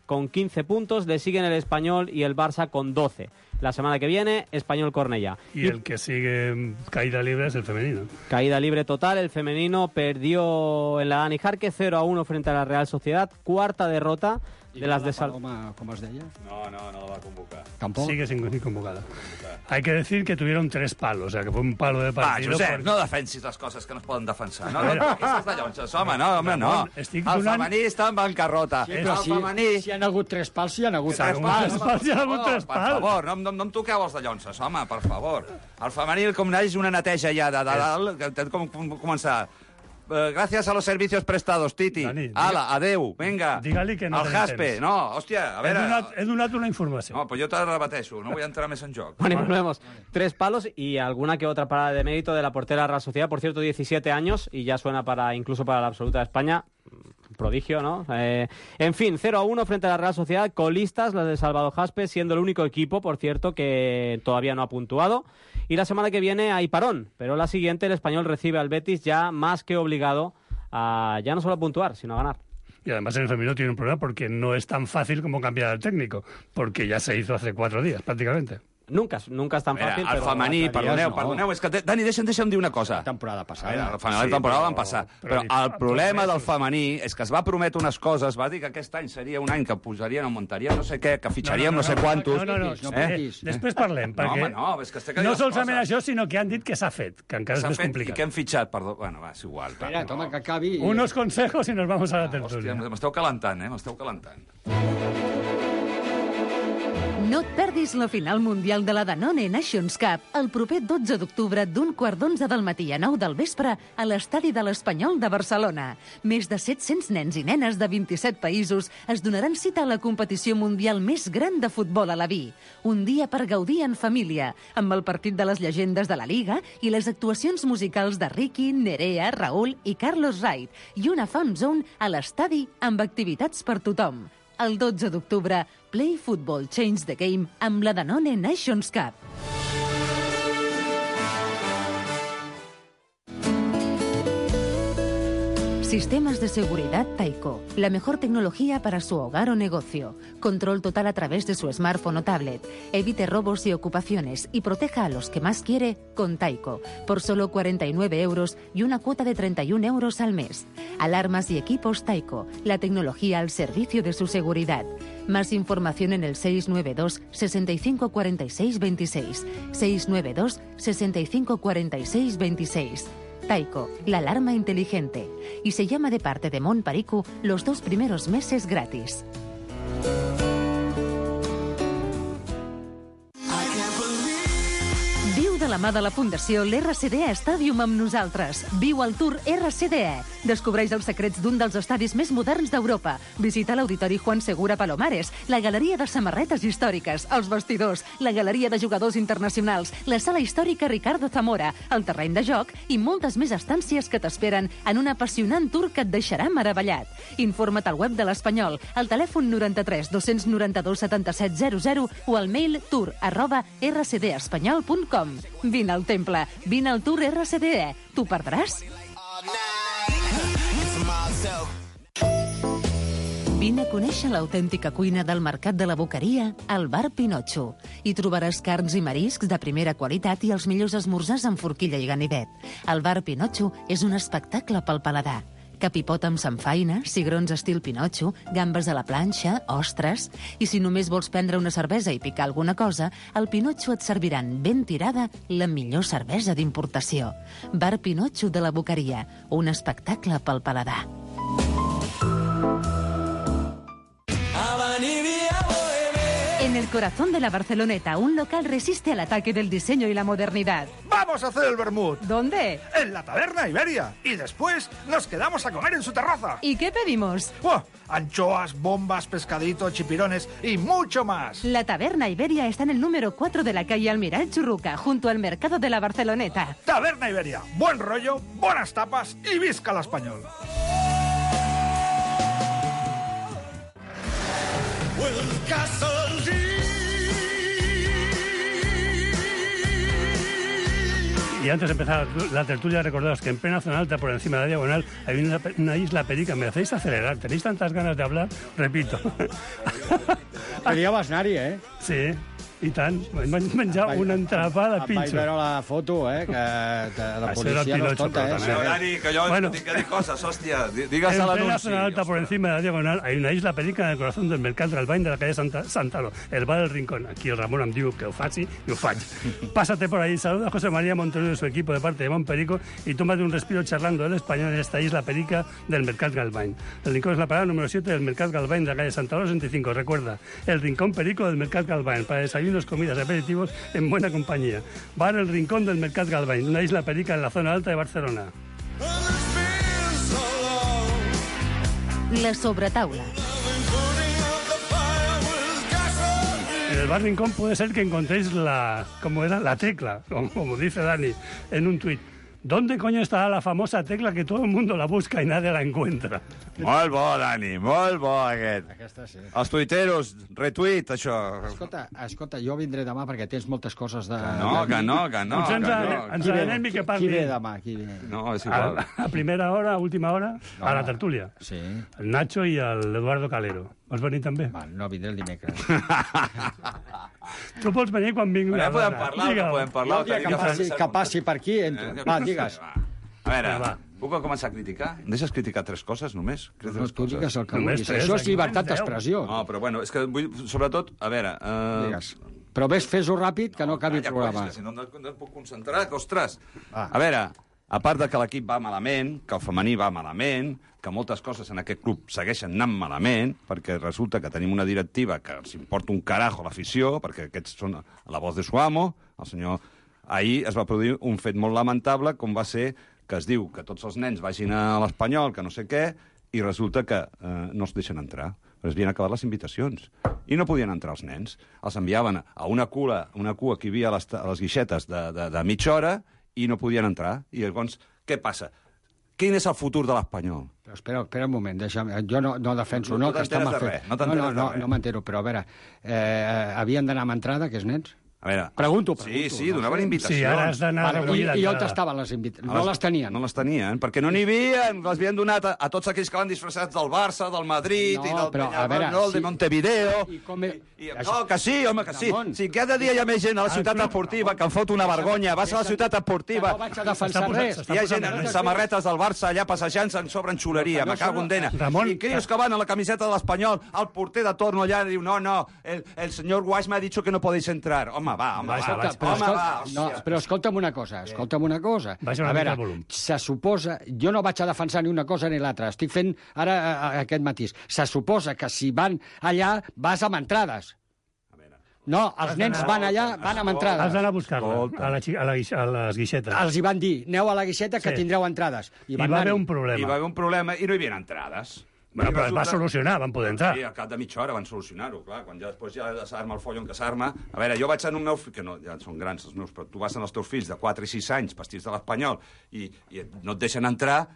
con quince puntos, le siguen el Español y el Barça con doce. La semana que viene, Español-Cornellá. Y, y el que sigue caída libre es el femenino. Caída libre total, el femenino perdió en la Dani Jarque cero a uno frente a la Real Sociedad, cuarta derrota de las de Sal... ¿Cómo es de ella? No, no, no la va a convocar. ¿Tampoco? Sigue sin, sin convocada. Hay que decir que tuvieron tres palos, o sea, que fue un palo de partido. Va, Josep, perquè... no defensis les coses que no es poden defensar. No, no, no, aquestes de llonxes, home, no, home, no. Estic El donant... femení està en bancarrota. Sí, però el si, femení... si hi ha hagut tres pals, si hi ha hagut Tres tres pals, pals. pals, hi ha hagut per tres favor, pals. Per favor, no, no, no em toqueu els de llonces, home, per favor. El femení, com neix una neteja ja de dalt, que té com començar... Uh, gracias a los servicios prestados, Titi. Dani, Ala, adeu, venga. Digue-li que no al tenim Jaspe, temps. no, hòstia, a He veure... donat, he donat una informació. No, pues yo te la repeteixo, no voy a entrar més en joc. Bueno, y volvemos. Tres palos y alguna que otra parada de mérito de la portera Real Sociedad. Por cierto, diecisiete años y ya suena para incluso para la absoluta de España. Prodigio, ¿no? Eh, en fin, cero a uno frente a la Real Sociedad. Colistas, las de Salvador Jaspe, siendo el único equipo, por cierto, que todavía no ha puntuado. Y la semana que viene hay parón, pero la siguiente el Español recibe al Betis ya más que obligado a ya no solo a puntuar, sino a ganar. Y además en el femenino tiene un problema porque no es tan fácil como cambiar al técnico, porque ya se hizo hace cuatro días, prácticamente. Nunca, nunca és tan Mira, fàcil, el però... femení, perdoneu, no. perdoneu, és que, Dani, deixa'm, deixa'm dir una cosa. La temporada passada. Mira, el femení, Sí, la temporada però- van passar. però Però el problema del femení és que es va prometre unes coses, va dir que aquest any seria un any que posarien, augmentarien no sé què, que fitxaríem no, no, no, no sé quantos. No, no, no. No Eh? patis. Després parlem, No, perquè home, no, és que estic a dir no les solament coses. això, sinó que han dit que s'ha fet, que encara S'ha és més fet, I complicat. que hem fitxat, perdó. Bueno, va, és igual. Espera, toma, que acabi. Unos consejos y nos vamos a la Hòstia, tertúlia. m'esteu calentant, eh? M'esteu calentant. No et perdis la final mundial de la Danone Nations Cup el proper dotze d'octubre d'un quart d'onze del matí a nou del vespre a l'estadi de l'Espanyol de Barcelona. Més de set-cents nens i nenes de vint-i-set països es donaran cita a la competició mundial més gran de futbol a la vi. Un dia per gaudir en família, amb el partit de les llegendes de la Liga i les actuacions musicals de Ricky, Nerea, Raúl i Carlos Wright i una fan zone a l'estadi amb activitats per tothom. El dotze d'octubre, Play Football Change the Game amb la Danone Nations Cup. Sistemas de seguridad Taiko. La mejor tecnología para su hogar o negocio. Control total a través de su smartphone o tablet. Evite robos y ocupaciones y proteja a los que más quiere con Taiko. Por solo cuarenta y nueve euros y una cuota de treinta y un euros al mes. Alarmas y equipos Taiko. La tecnología al servicio de su seguridad. Más información en el seis nueve dos, sesenta y cinco cuarenta y seis veintiséis. seis nueve dos, sesenta y cinco cuarenta y seis veintiséis. Taiko, la alarma inteligente. Y se llama de parte de Mont Perico los dos primeros meses gratis. Viu de la mà de la Fundació l'R C D E Stadium amb nosaltres. Viu el Tour R C D E. Descobreix els secrets d'un dels estadis més moderns d'Europa. Visita l'Auditori Juan Segura Palomares, la galeria de samarretes històriques, els vestidors, la galeria de jugadors internacionals, la sala històrica Ricardo Zamora, el terreny de joc i moltes més estàncies que t'esperen en un apassionant tour que et deixarà meravellat. Informa't al web de l'Espanyol, al telèfon noranta-tres dos noranta-dos setanta-set zero zero o al mail tour arroba r c d espanyol punt com. Vine al temple, vine al Tour R C D E. T'ho perdràs? Vine a conèixer l'autèntica cuina del Mercat de la Boqueria al Bar Pinotxo. Hi trobaràs carns i mariscs de primera qualitat i els millors esmorzars amb forquilla i ganivet. El Bar Pinotxo és un espectacle pel paladar. Capipot amb samfaina, cigrons estil Pinotxo, gambes a la planxa, ostres... I si només vols prendre una cervesa i picar alguna cosa, al Pinotxo et serviran ben tirada la millor cervesa d'importació. Bar Pinotxo de la Boqueria, un espectacle pel paladar. En el corazón de la Barceloneta, un local resiste al ataque del diseño y la modernidad. ¡Vamos a hacer el vermut! ¿Dónde? En la Taberna Iberia. Y después nos quedamos a comer en su terraza. ¿Y qué pedimos? ¡Oh! Anchoas, bombas, pescadito, chipirones y mucho más. La Taberna Iberia está en el número cuatro de la calle Almiral Churruca, junto al mercado de la Barceloneta. Taberna Iberia. Buen rollo, buenas tapas y visca el español. Y antes de empezar la tertulia, recordaos que en plena zona alta, por encima de la diagonal, hay una, una isla perica. Me hacéis acelerar. Tenéis tantas ganas de hablar, repito. Seria Basnari, eh? Sí. I tant, m'han menjat un entrepà de pinxo. Vaig veure la foto, eh, que de la policia no es tonta, eh. Pero, Dani, que yo bueno, tengo que decir cosas, hostia. Digas al anuncio. En plena zona alta, por encima de la diagonal, hay una isla perica en el corazón del Mercat Galvany de la calle Santa, Santalo, el bar del Rincón. Aquí el Ramón em diu que ho faci i ho faig. Pásate por ahí, saluda a José María Montorio y su equipo de parte de Mont Perico y tómate un respiro charlando el español en esta isla perica del Mercat Galvany. El Rincón es la parada número siete del Mercat Galvany de la calle Santalo sesenta y cinco. Recuerda, el Rincón Perico del Mercat Galvany para desayunos, comidas, aperitivos en buena compañía. Bar El Rincón del Mercat Galvany, una isla perica en la zona alta de Barcelona. La sobretaula. En el Bar Rincón puede ser que encontréis la, como era, la tecla, como, como dice Dani en un tuit. ¿Dónde coño está la famosa tecla que todo el mundo la busca y nadie la encuentra? Molt bo, Dani, molt bo, aquest. Aquesta sí. Els tuiteros, retuit, això. Escolta, escolta, jo vindré demà perquè tens moltes coses de... Que no, que no, que no. Doncs ens, que no. ens anem i que parli. Qui ve demà? Qui ve? No, és igual. A, a primera hora, a última hora, no, a la tertúlia. Sí. El Nacho i l'Eduardo Calero. Vols venir també? Va, no, vindré el dimecres. Tu pots venir quan vingui una podem parlar, no podem parlar. Jo, que, passi, que passi per aquí, entro. Va, digues. A veure, va. Puc començar a criticar? Em deixes criticar tres coses, només? No, no tu digues el que vulguis. Això és llibertat d'expressió. No, però bueno, és que vull, sobretot, a veure... Uh... Digues. Però ves, fes-ho ràpid, que no acabi el programa. Si no, no, no em puc concentrar, que, ostres... Ah. A veure, a part de que l'equip va malament, que el femení va malament, que moltes coses en aquest club segueixen anant malament, perquè resulta que tenim una directiva que els importa un carajo l'afició, perquè aquests són la voz de su amo, el senyor... Ahir es va produir un fet molt lamentable, com va ser que es diu que tots els nens vagin a l'Espanyol, que no sé què, i resulta que eh, no es deixen entrar. Però es havien acabat les invitacions. I no podien entrar els nens. Els enviaven a una cua, una cua que hi havia a les, a les guixetes de, de, de mitja hora i no podien entrar. I llavors, què passa? Quin és el futur de l'Espanyol? Però espera, espera un moment, deixa'm. Jo no, no defenso, no, no, no que està mal fet. Res, no no, no, no, no m'entero, però a veure, eh, havien d'anar amb entrada, aquests nens? A veure... Pregunto, Sí, pregunto. sí, donaven no sé. invitacions. Sí, ara has d'anar a recollir I, I on l'entrada. estaven les invitacions? A No les- les tenien. No les tenien, perquè no n'hi havia, les havien donat a, a tots aquells que van disfressats del Barça, del Madrid No, i del però, a veure, Peñarol, sí. de Montevideo... I com... I, no, que sí, home, que sí. Ramon. Si cada dia hi ha més gent a la ciutat esportiva que em fot una vergonya, vas a la ciutat esportiva... No vaig a defensar S'està posant- res. s'està Hi ha posant gent amb nerviós. samarretes del Barça allà passejant-se en sobre en xuleria, me cago en dena. Ramon, I crios que van a la camiseta de l'Espanyol, el porter de torno allà diu, no, no, el, el señor Guas me ha dicho que no podéis entrar. Home, va, home, va, Escolta, va, però, home, va, escolta, no, hòstia. però escolta'm una cosa, escolta'm una cosa. Baixa una A mica veure, el volum. se suposa... Jo no vaig a defensar ni una cosa ni l'altra. Estic fent ara a, a, aquest matís. Se suposa que si van allà vas amb entrades. No, els nens van allà, van amb Has entrades. d'anar a buscar-la a, la, xi- a, la, guix- a les guixetes. Els hi van dir, aneu a la guixeta que Sí. tindreu entrades. I van va haver anar-hi. un problema. I va haver un problema i no hi havia entrades. Bueno, I però es va resulta- solucionar, van poder entrar. Sí, al cap de mitja hora van solucionar-ho, clar, quan ja després ja s'arma el follon que s'arma. A veure, jo vaig en un meu fill, que no, ja són grans els meus, però tu vas amb els teus fills de quatre i sis anys, vestits de l'Espanyol, i, i no et deixen entrar,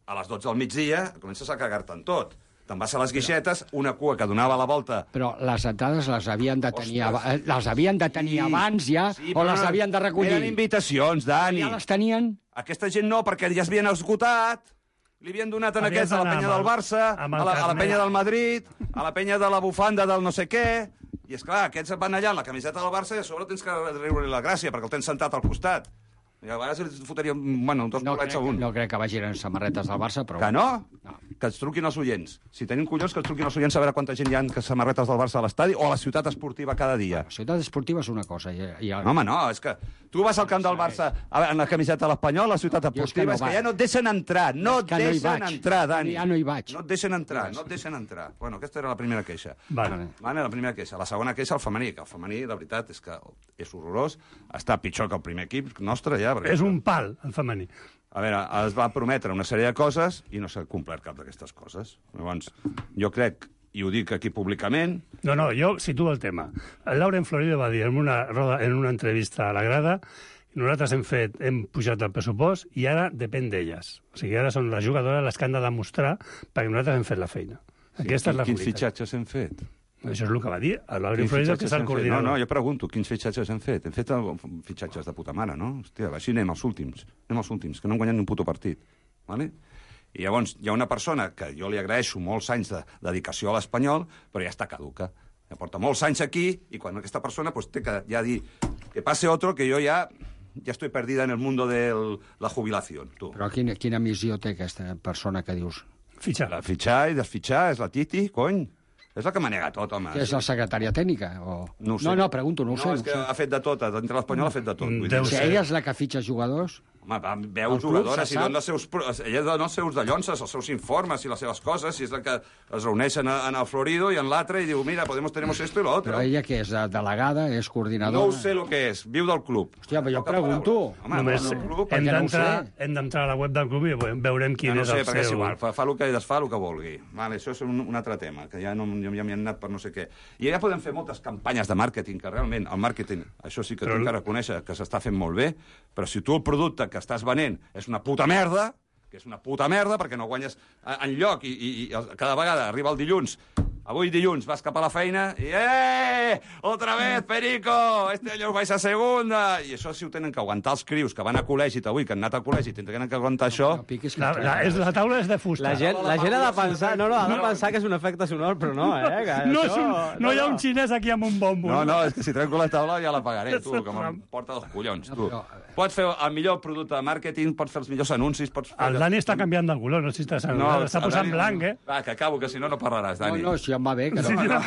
a les dotze del migdia comences a cagar-te en tot. Te'n vas a les guixetes, una cua que donava la volta... Però les entrades les havien de tenir, Ostres. aba- les havien de tenir Sí, abans ja, sí, o però les no, havien de recollir? Eren invitacions, Dani. Ja les tenien? Aquesta gent no, perquè ja es havien esgotat. Li havien donat en Havies aquests a la d'anar penya amb del el- Barça, amb a el la, a la carnet. penya del Madrid, a la penya de la bufanda del no sé què... I, és clar, aquests van allà amb la camiseta del Barça i a sobre tens que riure la gràcia, perquè el tens sentat al costat. I a vegades els fotríem, bueno, dos No bolets crec, a un. no crec que vagin en samarretes del Barça, però... Que no? No. Que ens truquin els oients. Si tenim collons, que ens truquin els oients a veure quanta gent hi ha que samarretes del Barça a l'estadi o a la ciutat esportiva cada dia. La ciutat esportiva és una cosa. I, i el... No, home, no, és que tu vas al camp del Barça a veure, en la camiseta de l'Espanyol, a la ciutat Jo és que esportiva, no és que vaig. ja no et deixen entrar, no És et que no hi deixen vaig. entrar, Dani. Ja no hi vaig. No et deixen entrar, no et deixen entrar. Bueno, aquesta era la primera queixa. Vale. Vale, la primera queixa. La segona queixa, el femení, que el femení, la veritat, és que és horrorós. Està pitjor que el primer equip nostre, ja. Perquè... És un pal, el femení. A veure, es va prometre una sèrie de coses i no s'ha complert cap d'aquestes coses. Llavors, jo crec, i ho dic aquí públicament... No, no, jo situo el tema. El Lauren Florido va dir en una, roda, en una entrevista a la grada nosaltres hem fet, hem pujat el pressupost i ara depèn d'elles. O sigui, ara són les jugadores les que han de demostrar perquè nosaltres hem fet la feina. Aquesta és la Quins realitat. fitxatges hem fet? Això és el que va dir el Lauren Quins Florido, que fitxatges és el hem fet? coordinador. No, no, jo pregunto, quins fitxatges hem fet? Hem fet el- fitxatges de puta mare, no? Hòstia, així anem als últims. Anem als últims, que no hem guanyat ni un puto partit. Vale? I llavors hi ha una persona que jo li agraeixo molts anys de dedicació a l'Espanyol, però ja està caduca. Ja porta molts anys aquí i quan aquesta persona pues, té que ja dir que passe otro, que jo ja ja estoy perdida en el mundo de la jubilació. Tu. Però quina, quina missió té aquesta persona que dius? Fitxar. La fitxar i desfitxar és la Titi, cony. És la que manega tot, home. Que és la secretària tècnica? O... No, ho sé. no, no, pregunto, no ho sé. No, No és que ho sé. ha fet de tot, dintre l'Espanyol ha fet de tot. Vull Deu dir. Si ser. ella és la que fitxa jugadors... Home, va, veu El club jugadores se i sap. dona els seus, pro- ella dona els seus dallonses, els seus informes i les seves coses, i és la que es reuneixen a- en el Florido i en l'altre i diu, mira, podemos, tenemos esto y lo otro. Però ella que és de- delegada, és coordinadora... No ho sé el que és, viu del club. Hòstia, però jo Poca pregunto. paraula. Home, Només no, no, club, hem perquè no ho d'entrar sé. hem d'entrar a la web del club i ve- veurem quin ja no és sé, el perquè és seu... igual, fa, fa el que desfà el que vulgui. Vale, això és un, un altre tema, que ja, no, ja m'hi han anat per no sé què. I ja podem fer moltes campanyes de màrqueting, que realment el màrqueting, això sí que Però- tinc que reconèixer que s'està fent molt bé, però si tu el producte que estàs venent és una puta merda, que és una puta merda, perquè no guanyes en lloc, i, i, i cada vegada arriba el dilluns, avui dilluns vas cap a la feina i ¡eh! Otra vez, Perico! Este año vais a segunda! I això si ho tenen que aguantar els crius que van a col·legi avui, que han anat a col·legi, tenen que aguantar això... No piquis que La, la, és, la taula és de fusta. La gent, la gent ha de pensar... No, no, ha de pensar que és un efecte sonor, però no, eh? Que No, és això, un, no hi ha un xinès aquí amb un bombo. No, no, és que si trenco la taula ja la pagaré, tu, que me'n porta dels collons, tu. Pots fer el millor producte de màrqueting, pots fer els millors anuncis, pots fer... El Dani està canviant de color, no sé si estàs No, està el posant Dani- blanc, eh? Va, que acabo, que si no, no parlaràs, No, Dani. no, si em va bé, que no. Sí, no.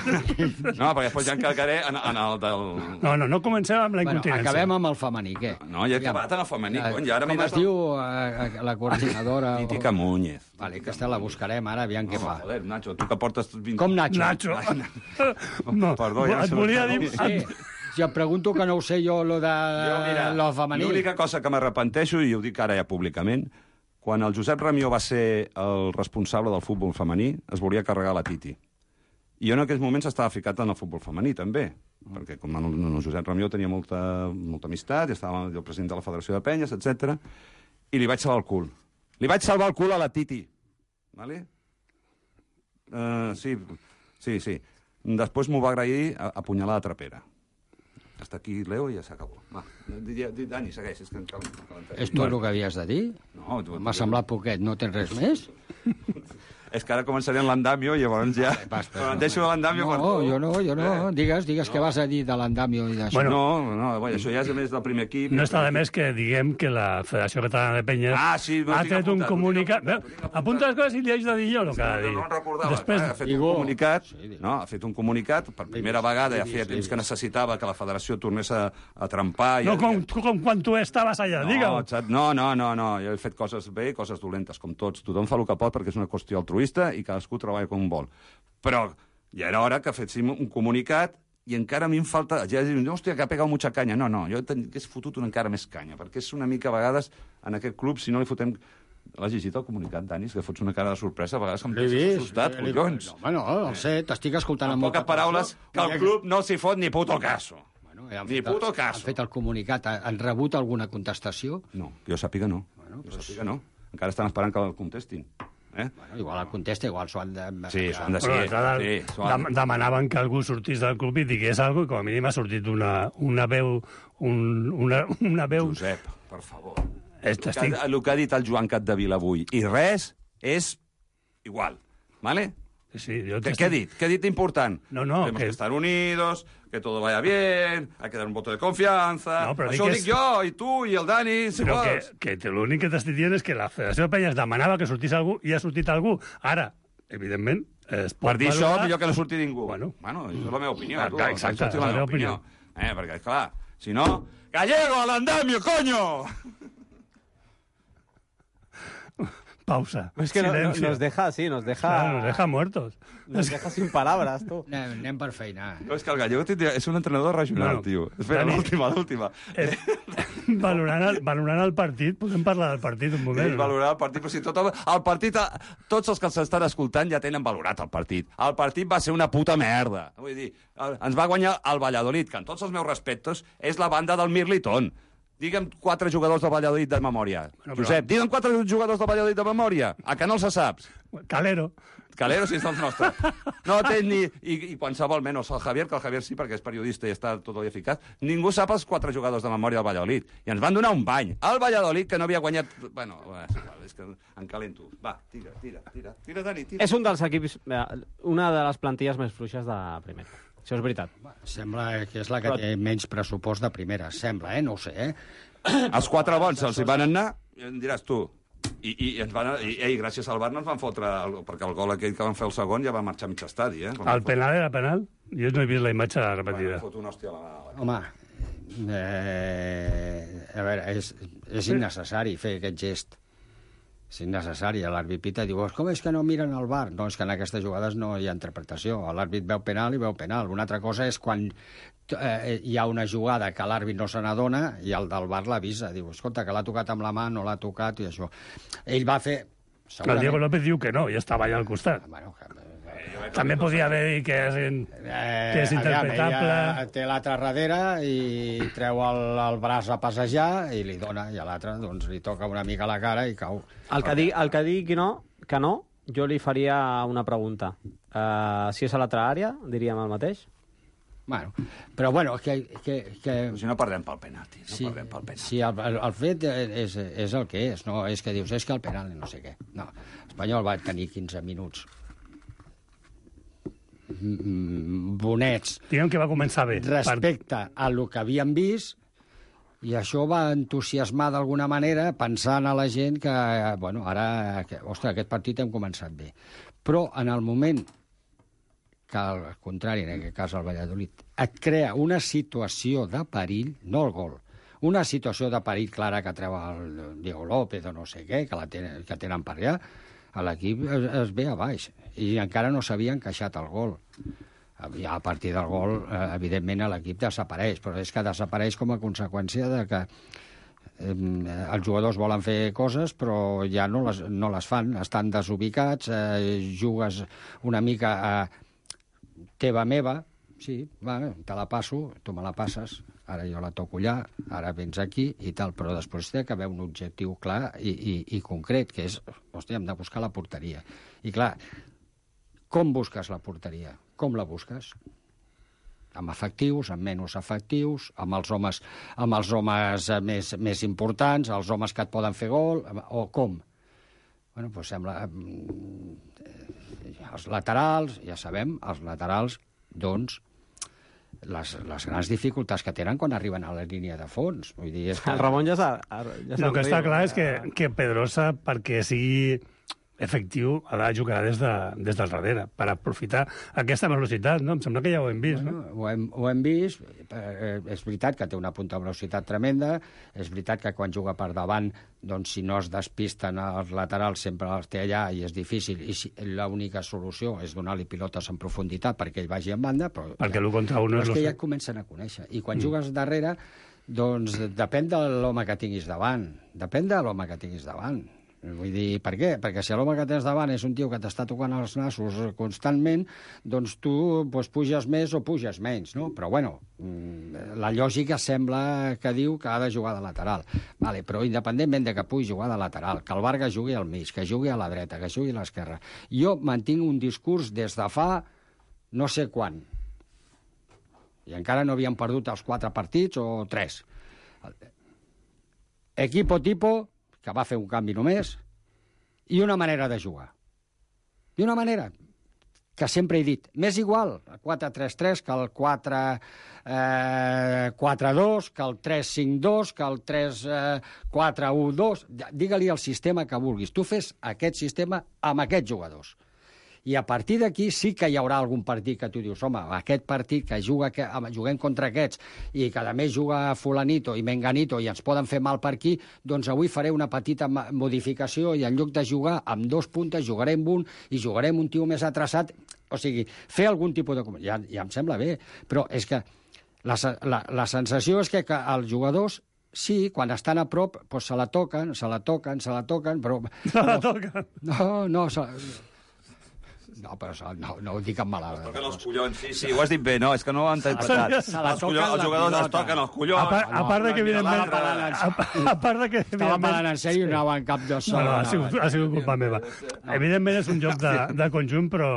No, perquè després ja encargaré en, en el del... No, no, no comencem amb la Bueno, incontinència. acabem amb el femení, què? No, ja he acabat en el femení, cony, ja ara m'he Com es anat... diu eh, la coordinadora? Titi Camúñez. Vale, aquesta la buscarem ara, aviam què fa. Joder, Nacho, tu que portes... vint... Com Nacho? Nacho. No, Perdó, ja no et sé volia on dir... estava. Sí, si em pregunto que no ho sé jo, lo de Jo, mira, lo femení. l'única cosa que m'arrepenteixo, i ho dic ara ja públicament, quan el Josep Ramió va ser el responsable del futbol femení, es volia carregar la Titi. I jo en aquells moments estava ficat en el futbol femení, també, perquè com el, el Josep Ramió tenia molta, molta amistat, i estava el president de la Federació de Penyes, etcètera, i li vaig salvar el cul. Li vaig salvar el cul a la Titi. Vale? Uh, sí, sí, sí. Després m'ho va agrair a, a punyalada trapera. Està aquí Leo i ja s'acabó. Va, Dani, segueix. És, que encara... és tot el que havies de dir? No. M'ha semblat poquet, no tens res més? És que ara començaré en l'andamio i llavors ja... Però em deixo l'andamio per tu. No, jo no, jo no. Digues, digues què vas a dir de l'andamio i d'això. No, no, això ja és a més del primer equip. No està de més que diguem que la Federació Catalana de Penyes ha tret un comunicat... Apunta les coses i li haig de dir jo el que ha de dir. No en recordava. Ha fet un comunicat, no? Ha fet un comunicat, per primera vegada, ja feia temps que necessitava que la Federació tornés a trempar... No, com quan tu estaves allà, digue-ho. No, no, no, no, jo he fet coses bé i coses dolentes, com tots. Tothom fa el que pot perquè és una qüestió altruista i cadascú treballa com vol. Però ja era hora que féssim un comunicat i encara a mi em falta... Ja diuen, hòstia, que ha pegat mucha canya. No, no, jo he fotut una encara més canya, perquè és una mica, a vegades, en aquest club, si no li fotem... L'has llegit el comunicat, Dani? Que fots una cara de sorpresa, a vegades em deixes assustat, collons. No, home, no, no sé, t'estic escoltant amb molta paraules, que el club no s'hi fot ni puto caso. Ni puto caso. Han fet el comunicat, han rebut alguna contestació? No, jo sàpiga no. Jo sàpiga no. Encara estan esperant que el contestin. Eh? Bueno, igual el contesta, igual s'ho han de... Sí, s'ho han de ser. Sí, dem demanaven que algú sortís del club i digués alguna cosa, i com a mínim ha sortit una, una veu... Un, una, una veu... Josep, per favor. El que, estic... el que ha dit el Joan Capdevila avui. I res és igual. Vale? Sí, yo ¿Qué, ¿Qué ha dit? ¿Qué ha dit important? No, no. Tenemos que... que estar unidos, que todo vaya bien, hay que dar un voto de confianza. No, Això ho dic és... jo, i tu, i el Dani, si però vols. Que, que l'únic que t'estic dient és que la Federació de Penyes demanava que sortís algú i ha sortit algú. Ara, evidentment, es pot per dir valorar... això, millor que no surti ningú. Bueno, bueno això és la meva opinió. Ah, tu, exacte, és la meva opinió. opinió. Eh, perquè, clar, si no... ¡Gallego al andamio, coño! Pausa. Es que no, no, nos deja así, nos deja... Claro, nos deja muertos. Nos deja sin palabras, tu. Anem, anem per feina. No, és que el Gallego és un entrenador regional, no, tio. Espera, l'última, l'última. Eh, valorant, el, valorant el partit, podem parlar del partit un moment. Sí, valorar el partit, però si tot el, el partit, tots els que s'estan escoltant ja tenen valorat el partit. El partit va ser una puta merda. Vull dir, ens va guanyar el Valladolid, que en tots els meus respectes és la banda del Mirliton. Digue'm quatre jugadors del Valladolid de memòria. Bueno, però... Josep, digue'm quatre jugadors del Valladolid de memòria. A que no els saps? Calero. Calero, si és dels nostres. No té ni... I, i qualsevol menys el Javier, que el Javier sí, perquè és periodista i està tot el dia ficat. Ningú sap els quatre jugadors de memòria del Valladolid. I ens van donar un bany. El Valladolid, que no havia guanyat... Bueno, és que em calento. Va, tira, tira, tira. Tira, Dani, tira. És un dels equips... Una de les plantilles més fluixes de primera. Això és veritat. Sembla que és la que Però... té menys pressupost de primera. Sembla, eh? No ho sé, eh? Els quatre bons els hi van anar, em diràs tu. I, i, ens van, i, i gràcies al V A R no ens van fotre... El, perquè el gol aquell que van fer el segon ja va marxar a mig estadi, eh? El penal era penal? Jo no he vist la imatge repetida. Bueno, fot una hòstia a la... Home, eh, a veure, és, és innecessari fer aquest gest. És innecessari. L'àrbit pita i diu, com és que no miren el V A R? No, és que en aquestes jugades no hi ha interpretació. L'àrbit veu penal i veu penal. Una altra cosa és quan eh, hi ha una jugada que l'àrbit no se n'adona i el del V A R l'avisa. Diu, escolta, que l'ha tocat amb la mà, no l'ha tocat i això. Ell va fer... Segurament... El Diego López diu que no, i estava allà al costat. Bueno, que... També podia haver dit que és, in... eh, que és interpretable. Ella té l'altre darrere i treu el, el braç a passejar i li dona, i a l'altre doncs, li toca una mica la cara i cau. El que, di, el que digui que no, que no, jo li faria una pregunta. Uh, si és a l'altra àrea, diríem el mateix? Bueno, però bueno, que... que, que... Si no perdem pel penalti, no sí, perdem pel penalti. Sí, el, el, el fet és, és el que és, no és que dius, és que el penal no sé què. No, Espanyol va tenir quinze minuts bonets. Diguem que va començar bé. Respecte a lo que havíem vist, i això va entusiasmar d'alguna manera, pensant a la gent que, bueno, ara, que, ostres, aquest partit hem començat bé. Però en el moment que, al contrari, en aquest cas el Valladolid, et crea una situació de perill, no el gol, una situació de perill clara que treu el Diego López o no sé què, que, la tenen, que tenen per allà, l'equip es, es ve a baix i encara no s'havia encaixat el gol. Ja a partir del gol, eh, evidentment, l'equip desapareix, però és que desapareix com a conseqüència de que eh, els jugadors volen fer coses però ja no les, no les fan, estan desubicats, eh, jugues una mica a teva meva, sí, va, te la passo, tu me la passes, ara jo la toco allà, ara vens aquí i tal, però després té que haver un objectiu clar i, i, i concret, que és, hòstia, hem de buscar la porteria. I clar, com busques la porteria? Com la busques? amb efectius, amb menys efectius, amb els homes, amb els homes més, més importants, els homes que et poden fer gol, o com? Bueno, doncs sembla... Els laterals, ja sabem, els laterals, doncs, les, les grans dificultats que tenen quan arriben a la línia de fons. Vull dir, és que... El Ramon ja s'ha... Ja el que està clar és que, que Pedrosa, perquè sigui efectiu, ha de jugar des, de, des del darrere, per aprofitar aquesta velocitat, no? Em sembla que ja ho hem vist, bueno, no? Ho hem, ho hem vist, eh, és veritat que té una punta de velocitat tremenda, és veritat que quan juga per davant, doncs si no es despisten els laterals sempre els té allà i és difícil, i si, l'única solució és donar-li pilotes en profunditat perquè ell vagi en banda, però... Perquè l'un contra un però és és... que ja et comencen a conèixer, i quan mm. jugues darrere, doncs depèn de l'home que tinguis davant, depèn de l'home que tinguis davant. Vull dir, per què? Perquè si l'home que tens davant és un tio que t'està tocant els nassos constantment, doncs tu doncs, puges més o puges menys, no? Però, bueno, la lògica sembla que diu que ha de jugar de lateral. Vale, però independentment de que pugui jugar de lateral, que el Vargas jugui al mig, que jugui a la dreta, que jugui a l'esquerra, jo mantinc un discurs des de fa no sé quan. I encara no havíem perdut els quatre partits o tres. Equipo tipo, que va fer un canvi només, i una manera de jugar. I una manera que sempre he dit, m'és igual el quatre tres tres que el quatre quatre dos, que el tres cinc dos, que el tres quatre u dos, digue-li el sistema que vulguis. Tu fes aquest sistema amb aquests jugadors. I a partir d'aquí sí que hi haurà algun partit que tu dius, home, aquest partit que juga, que juguem contra aquests i que a més juga fulanito i menganito i ens poden fer mal per aquí, doncs avui faré una petita modificació i en lloc de jugar amb dos puntes jugarem un i jugarem un tio més atrasat. O sigui, fer algun tipus de... Ja, ja em sembla bé, però és que la, la, la sensació és que, que els jugadors sí, quan estan a prop, doncs se la toquen, se la toquen, se la toquen, però... Se la toquen? No, no... Se... No, però no, no ho dic en mala... Es toquen els collons, sí, sí, ho has dit bé, no, és que no ho han interpretat. Se la els, collons, els jugadors es toquen els collons. A part, a part de que, evidentment... A, a part de que... Estava parlant en sèrio i no anava en cap de sol. No, no, ha sigut, ha sigut culpa meva. Evidentment és un joc de, de conjunt, però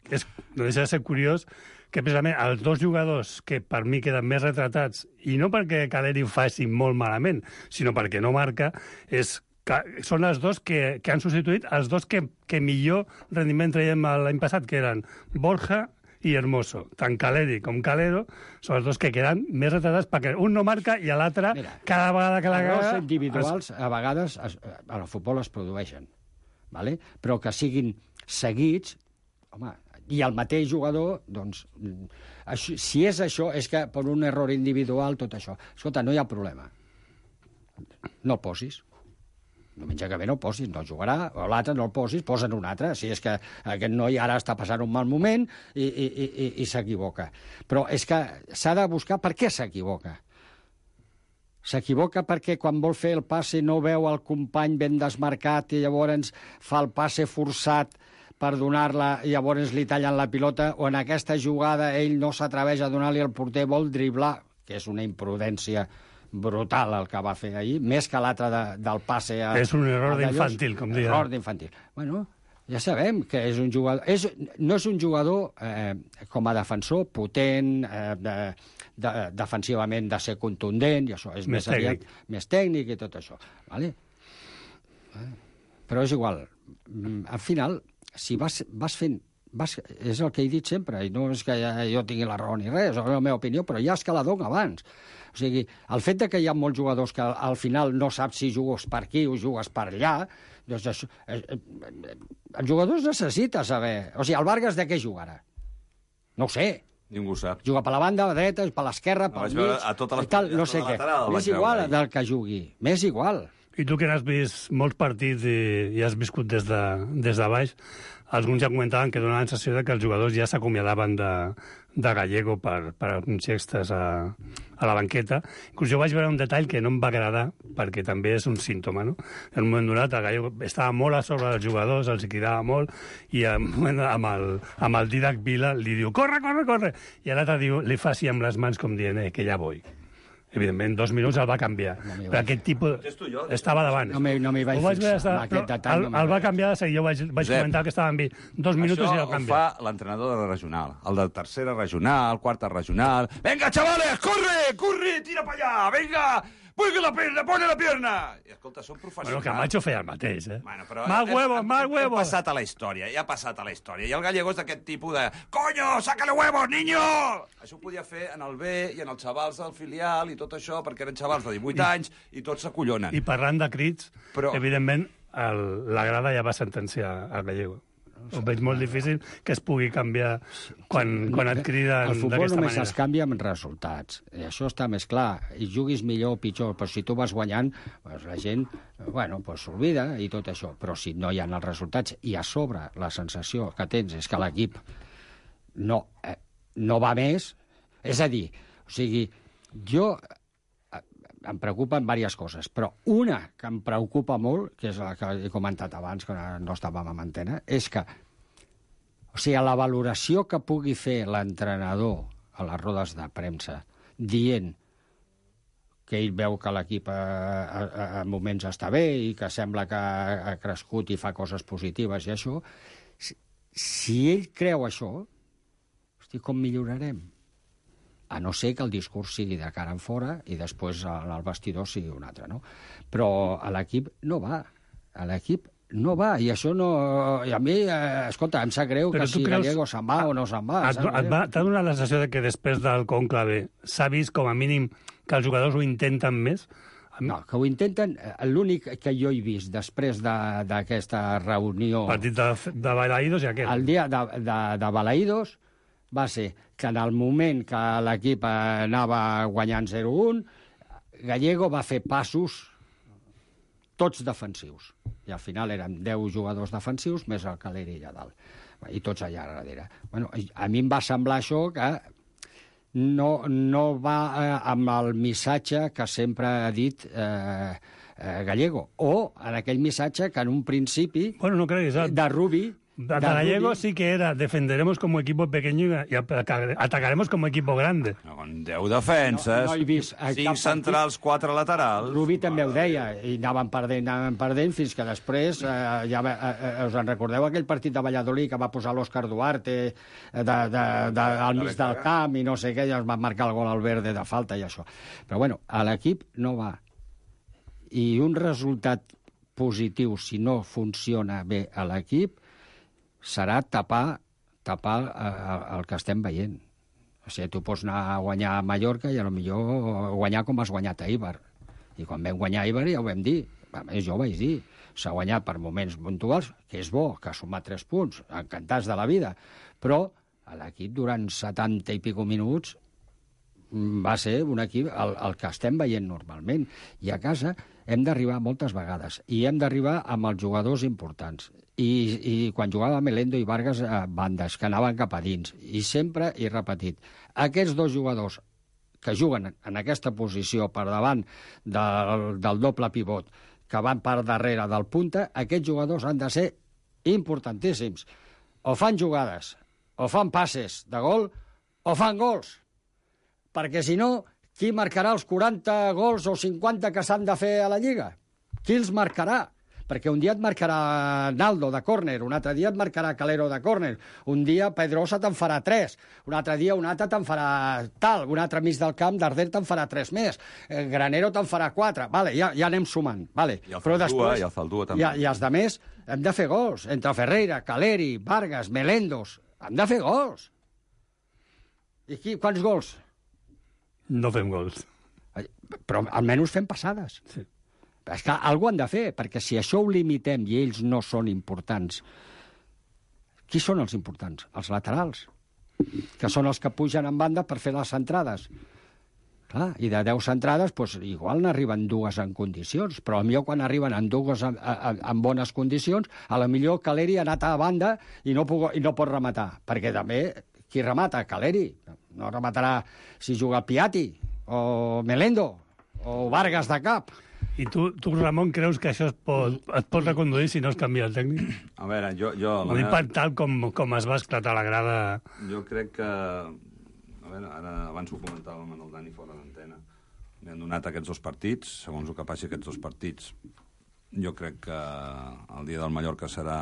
és, no deixa de ser curiós que precisament els dos jugadors que per mi queden més retratats, i no perquè Caleri ho faci molt malament, sinó perquè no marca, és que són els dos que, que han substituït els dos que, que millor rendiment traiem l'any passat, que eren Borja i Hermoso. Tant Caleri com Calero són els dos que queden més retratats perquè un no marca i l'altre, cada vegada que la caga... Errors individuals, es... a vegades, es, al futbol es produeixen, ¿vale? Però que siguin seguits, home, i el mateix jugador, doncs, això, si és això, és que per un error individual, tot això. Escolta, no hi ha problema. No el posis. Diumenge que ve no el posis, no jugarà, o l'altre no el posis, posa'n un altre. Si és que aquest noi ara està passant un mal moment i, i, i, i s'equivoca. Però és que s'ha de buscar per què s'equivoca. S'equivoca perquè quan vol fer el passe no veu el company ben desmarcat i llavors fa el passe forçat per donar-la i llavors li tallen la pilota, o en aquesta jugada ell no s'atreveix a donar-li al porter, vol driblar, que és una imprudència brutal el que va fer ahir, més que l'altre de, del passe a... És un error d'infantil, com deia. Error d'infantil. Bueno, ja sabem que és un jugador... És, no és un jugador, eh, com a defensor, potent, eh, de, de, defensivament de ser contundent, i això és més, més aviat, més tècnic i tot això. Vale? Però és igual. Al final, si vas, vas fent... Vas, és el que he dit sempre, i no és que jo tingui la raó ni res, és la meva opinió, però ja és que la dono abans. O sigui, el fet de que hi ha molts jugadors que al final no saps si jugues per aquí o jugues per allà, doncs això, eh, eh, els jugadors necessita saber... O sigui, el Vargas de què jugarà? No ho sé. Ningú sap. Juga per la banda dreta, per l'esquerra, pel mig, a totes les tal, no sé què. M'és igual del que jugui, m'és igual. I tu que n'has vist molts partits i, i has viscut des de, des de baix, alguns ja comentaven que donaven la sensació de que els jugadors ja s'acomiadaven de, de Gallego per, per uns gestes a, a la banqueta. Inclús jo vaig veure un detall que no em va agradar, perquè també és un símptoma, no? En un moment donat, el Gallego estava molt a sobre dels jugadors, els cridava molt, i amb, amb, el, amb el Didac Vila li diu, corre, corre, corre! I l'altre diu, li fa així amb les mans com dient, eh, que ja vull. Evidentment, dos minuts el va canviar. No però aquest tipus estava davant. No m'hi no vaig fixar, estar, aquest detall. El, no el va canviar de seguir. Jo vaig, vaig Josep, comentar que estava amb dos minuts i el canvia. Això ho fa l'entrenador de la regional. El de tercera regional, quarta regional... Venga, chavales, corre, corre, tira pa allà, venga... Pone la pierna, pone la pierna! I escolta, són professionals. Bueno, Camacho feia el mateix, eh? Bueno, però más huevos, más huevos! Ha passat a la història, ja ha passat a la història. I el Gallego és d'aquest tipus de... Coño, sácale huevos, niño! Això ho podia fer en el B i en els xavals del filial i tot això, perquè eren xavals de divuit anys i tots s'acollonen. I parlant de crits, però... evidentment, el, la grada ja va sentenciar al Gallego. Ho veig molt difícil que es pugui canviar quan, quan et criden d'aquesta manera. El futbol només es canvia amb resultats. I això està més clar. I juguis millor o pitjor, però si tu vas guanyant, doncs la gent bueno, pues s'olvida i tot això. Però si no hi ha els resultats i a sobre la sensació que tens és que l'equip no, eh, no va més, és a dir, o sigui, jo... em preocupen diverses coses, però una que em preocupa molt, que és la que he comentat abans, que no estàvem en antena, és que, o sigui, la valoració que pugui fer l'entrenador a les rodes de premsa dient que ell veu que l'equip en moments està bé i que sembla que ha crescut i fa coses positives i això, si, si ell creu això, hosti, com millorarem? A no ser que el discurs sigui de cara en fora i després al vestidor sigui un altre, no? Però a l'equip no va. A l'equip no va. I això no... I a mi, eh, escolta, em sap greu però que si creus... Gallego se'n va o no se'n va. T'ha donat la sensació de que després del conclave s'ha vist com a mínim que els jugadors ho intenten més? No, que ho intenten... L'únic que jo he vist després d'aquesta reunió... Partit de, de Balaïdos i aquest. El dia de, de, de Balaïdos va ser que en el moment que l'equip anava guanyant zero a un, Gallego va fer passos tots defensius. I al final eren deu jugadors defensius més el Caleri allà dalt. I tots allà darrere. Bueno, a mi em va semblar això que no, no va eh, amb el missatge que sempre ha dit eh, eh, Gallego. O en aquell missatge que en un principi bueno, no creguis, de Rubi... De Gallego sí que era, defenderemos como equipo pequeño y atacaremos como equipo grande. No, con deu defenses, no, no he vist cinc centrals, quatre laterals... Rubi també ho deia, i anaven perdent, anaven perdent, fins que després, eh, ja eh, us en recordeu aquell partit de Valladolid que va posar l'Òscar Duarte de, de, de, al mig del camp i no sé què, ja es van marcar el gol al verde de falta i això. Però bueno, a l'equip no va. I un resultat positiu, si no funciona bé a l'equip, serà tapar, tapar el que estem veient. O sigui, tu pots anar a guanyar a Mallorca i potser guanyar com has guanyat a Eibar. I quan vam guanyar a Eibar ja ho vam dir. A més, jo ho vaig dir. S'ha guanyat per moments puntuals, que és bo, que ha sumat tres punts, encantats de la vida. Però l'equip durant setanta i pico minuts va ser un equip el, el que estem veient normalment. I a casa hem d'arribar moltes vegades. I hem d'arribar amb els jugadors importants. I, i quan jugava Melendo i Vargas a bandes, que anaven cap a dins. I sempre he repetit, aquests dos jugadors que juguen en aquesta posició per davant del, del doble pivot, que van per darrere del punta, aquests jugadors han de ser importantíssims. O fan jugades, o fan passes de gol, o fan gols. Perquè si no, qui marcarà els quaranta gols o cinquanta que s'han de fer a la Lliga? Qui els marcarà? Perquè un dia et marcarà Naldo de córner, un altre dia et marcarà Calero de córner, un dia Pedrosa te'n farà tres, un altre dia un altre te'n farà tal, un altre mig del camp, Darder te'n farà tres més, Granero te'n farà quatre, vale, ja, ja anem sumant. Vale. I el Faldua, i el Faldua també. I, I els de més hem de fer gols, entre Ferreira, Caleri, Vargas, Melendos, hem de fer gols. I qui, quants gols? No fem gols. Però almenys fem passades. Sí. És que alguna han de fer, perquè si això ho limitem i ells no són importants, qui són els importants? Els laterals, que són els que pugen en banda per fer les centrades. Clar, i de deu centrades, doncs, igual n'arriben dues en condicions, però potser quan arriben en dues en, en, en bones condicions, a la millor Caleri ha anat a banda i no, puc, i no pot rematar, perquè també qui remata? Caleri. No rematarà si juga Piatti, o Melendo, o Vargas de cap. I tu, tu, Ramon, creus que això es pot, es pot reconduir si no es canvia el tècnic? A veure, jo... jo Ho dic per tal com, com es va esclatar la grada... Jo crec que... A veure, ara abans ho comentàvem amb el Dani fora d'antena. li han donat aquests dos partits, segons el que passi aquests dos partits. Jo crec que el dia del Mallorca serà...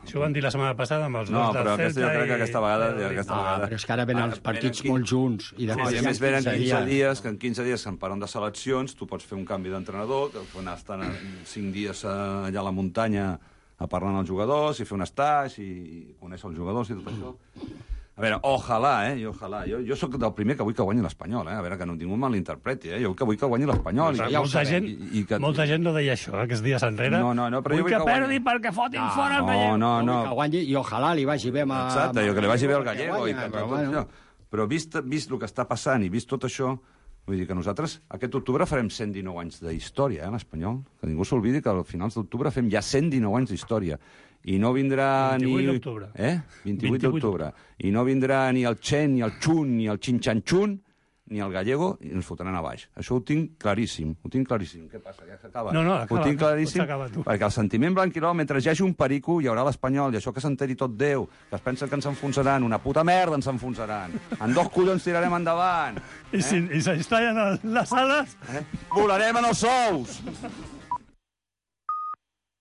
Això ho van dir la setmana passada amb els no, dos del però Celta aquesta, jo crec que aquesta vegada... i... Aquesta No, vegada... però és que ara venen els partits venen molt junts. I de No, i a més venen quinze dies, que en quinze dies se'n paren de seleccions, tu pots fer un canvi d'entrenador, que pots anar estant cinc dies allà a la muntanya a parlar amb els jugadors, i fer un stage, i conèixer els jugadors i tot això. A veure, ojalà, eh? Jo, ojalà. Jo, jo sóc del primer que vull que guanyi l'Espanyol, eh? A veure, que no ningú malinterpreti, eh? Jo que vull que guanyi l'Espanyol. Ja molta, gent, i, i que... molta gent no deia això, eh, aquests dies enrere. No, no, no, però vull jo vull que, que perdi guanyi... perquè fotin no, fora el no, Gallego. No, no, Que guanyi, i ojalà li vagi bé amb... Exacte, jo que li vagi bé al Gallego. guanya, I que però, tot bueno. això. Però vist, vist el que està passant i vist tot això, vull dir que nosaltres aquest octubre farem cent dinou anys d'història, eh, l'Espanyol. Que ningú s'oblidi que al finals d'octubre fem ja cent dinou anys d'història. I no vindrà ni... vint-i-vuit d'octubre. Eh? vint-i-vuit d'octubre. I no vindrà ni el Chen, ni el Chun, ni el Xinxanxun, ni el Gallego, i ens fotran a baix. Això ho tinc claríssim, ho tinc claríssim. Què passa, ja s'acaba? No, no, acaba, ho tinc claríssim, tu. perquè el sentiment blanquirol, mentre hi hagi un perico, hi haurà l'Espanyol, i això que s'enteri tot Déu, que es pensen que ens enfonsaran, una puta merda ens enfonsaran. En dos collons tirarem endavant. I eh? si i s'installen les ales... Eh? Volarem en els sous!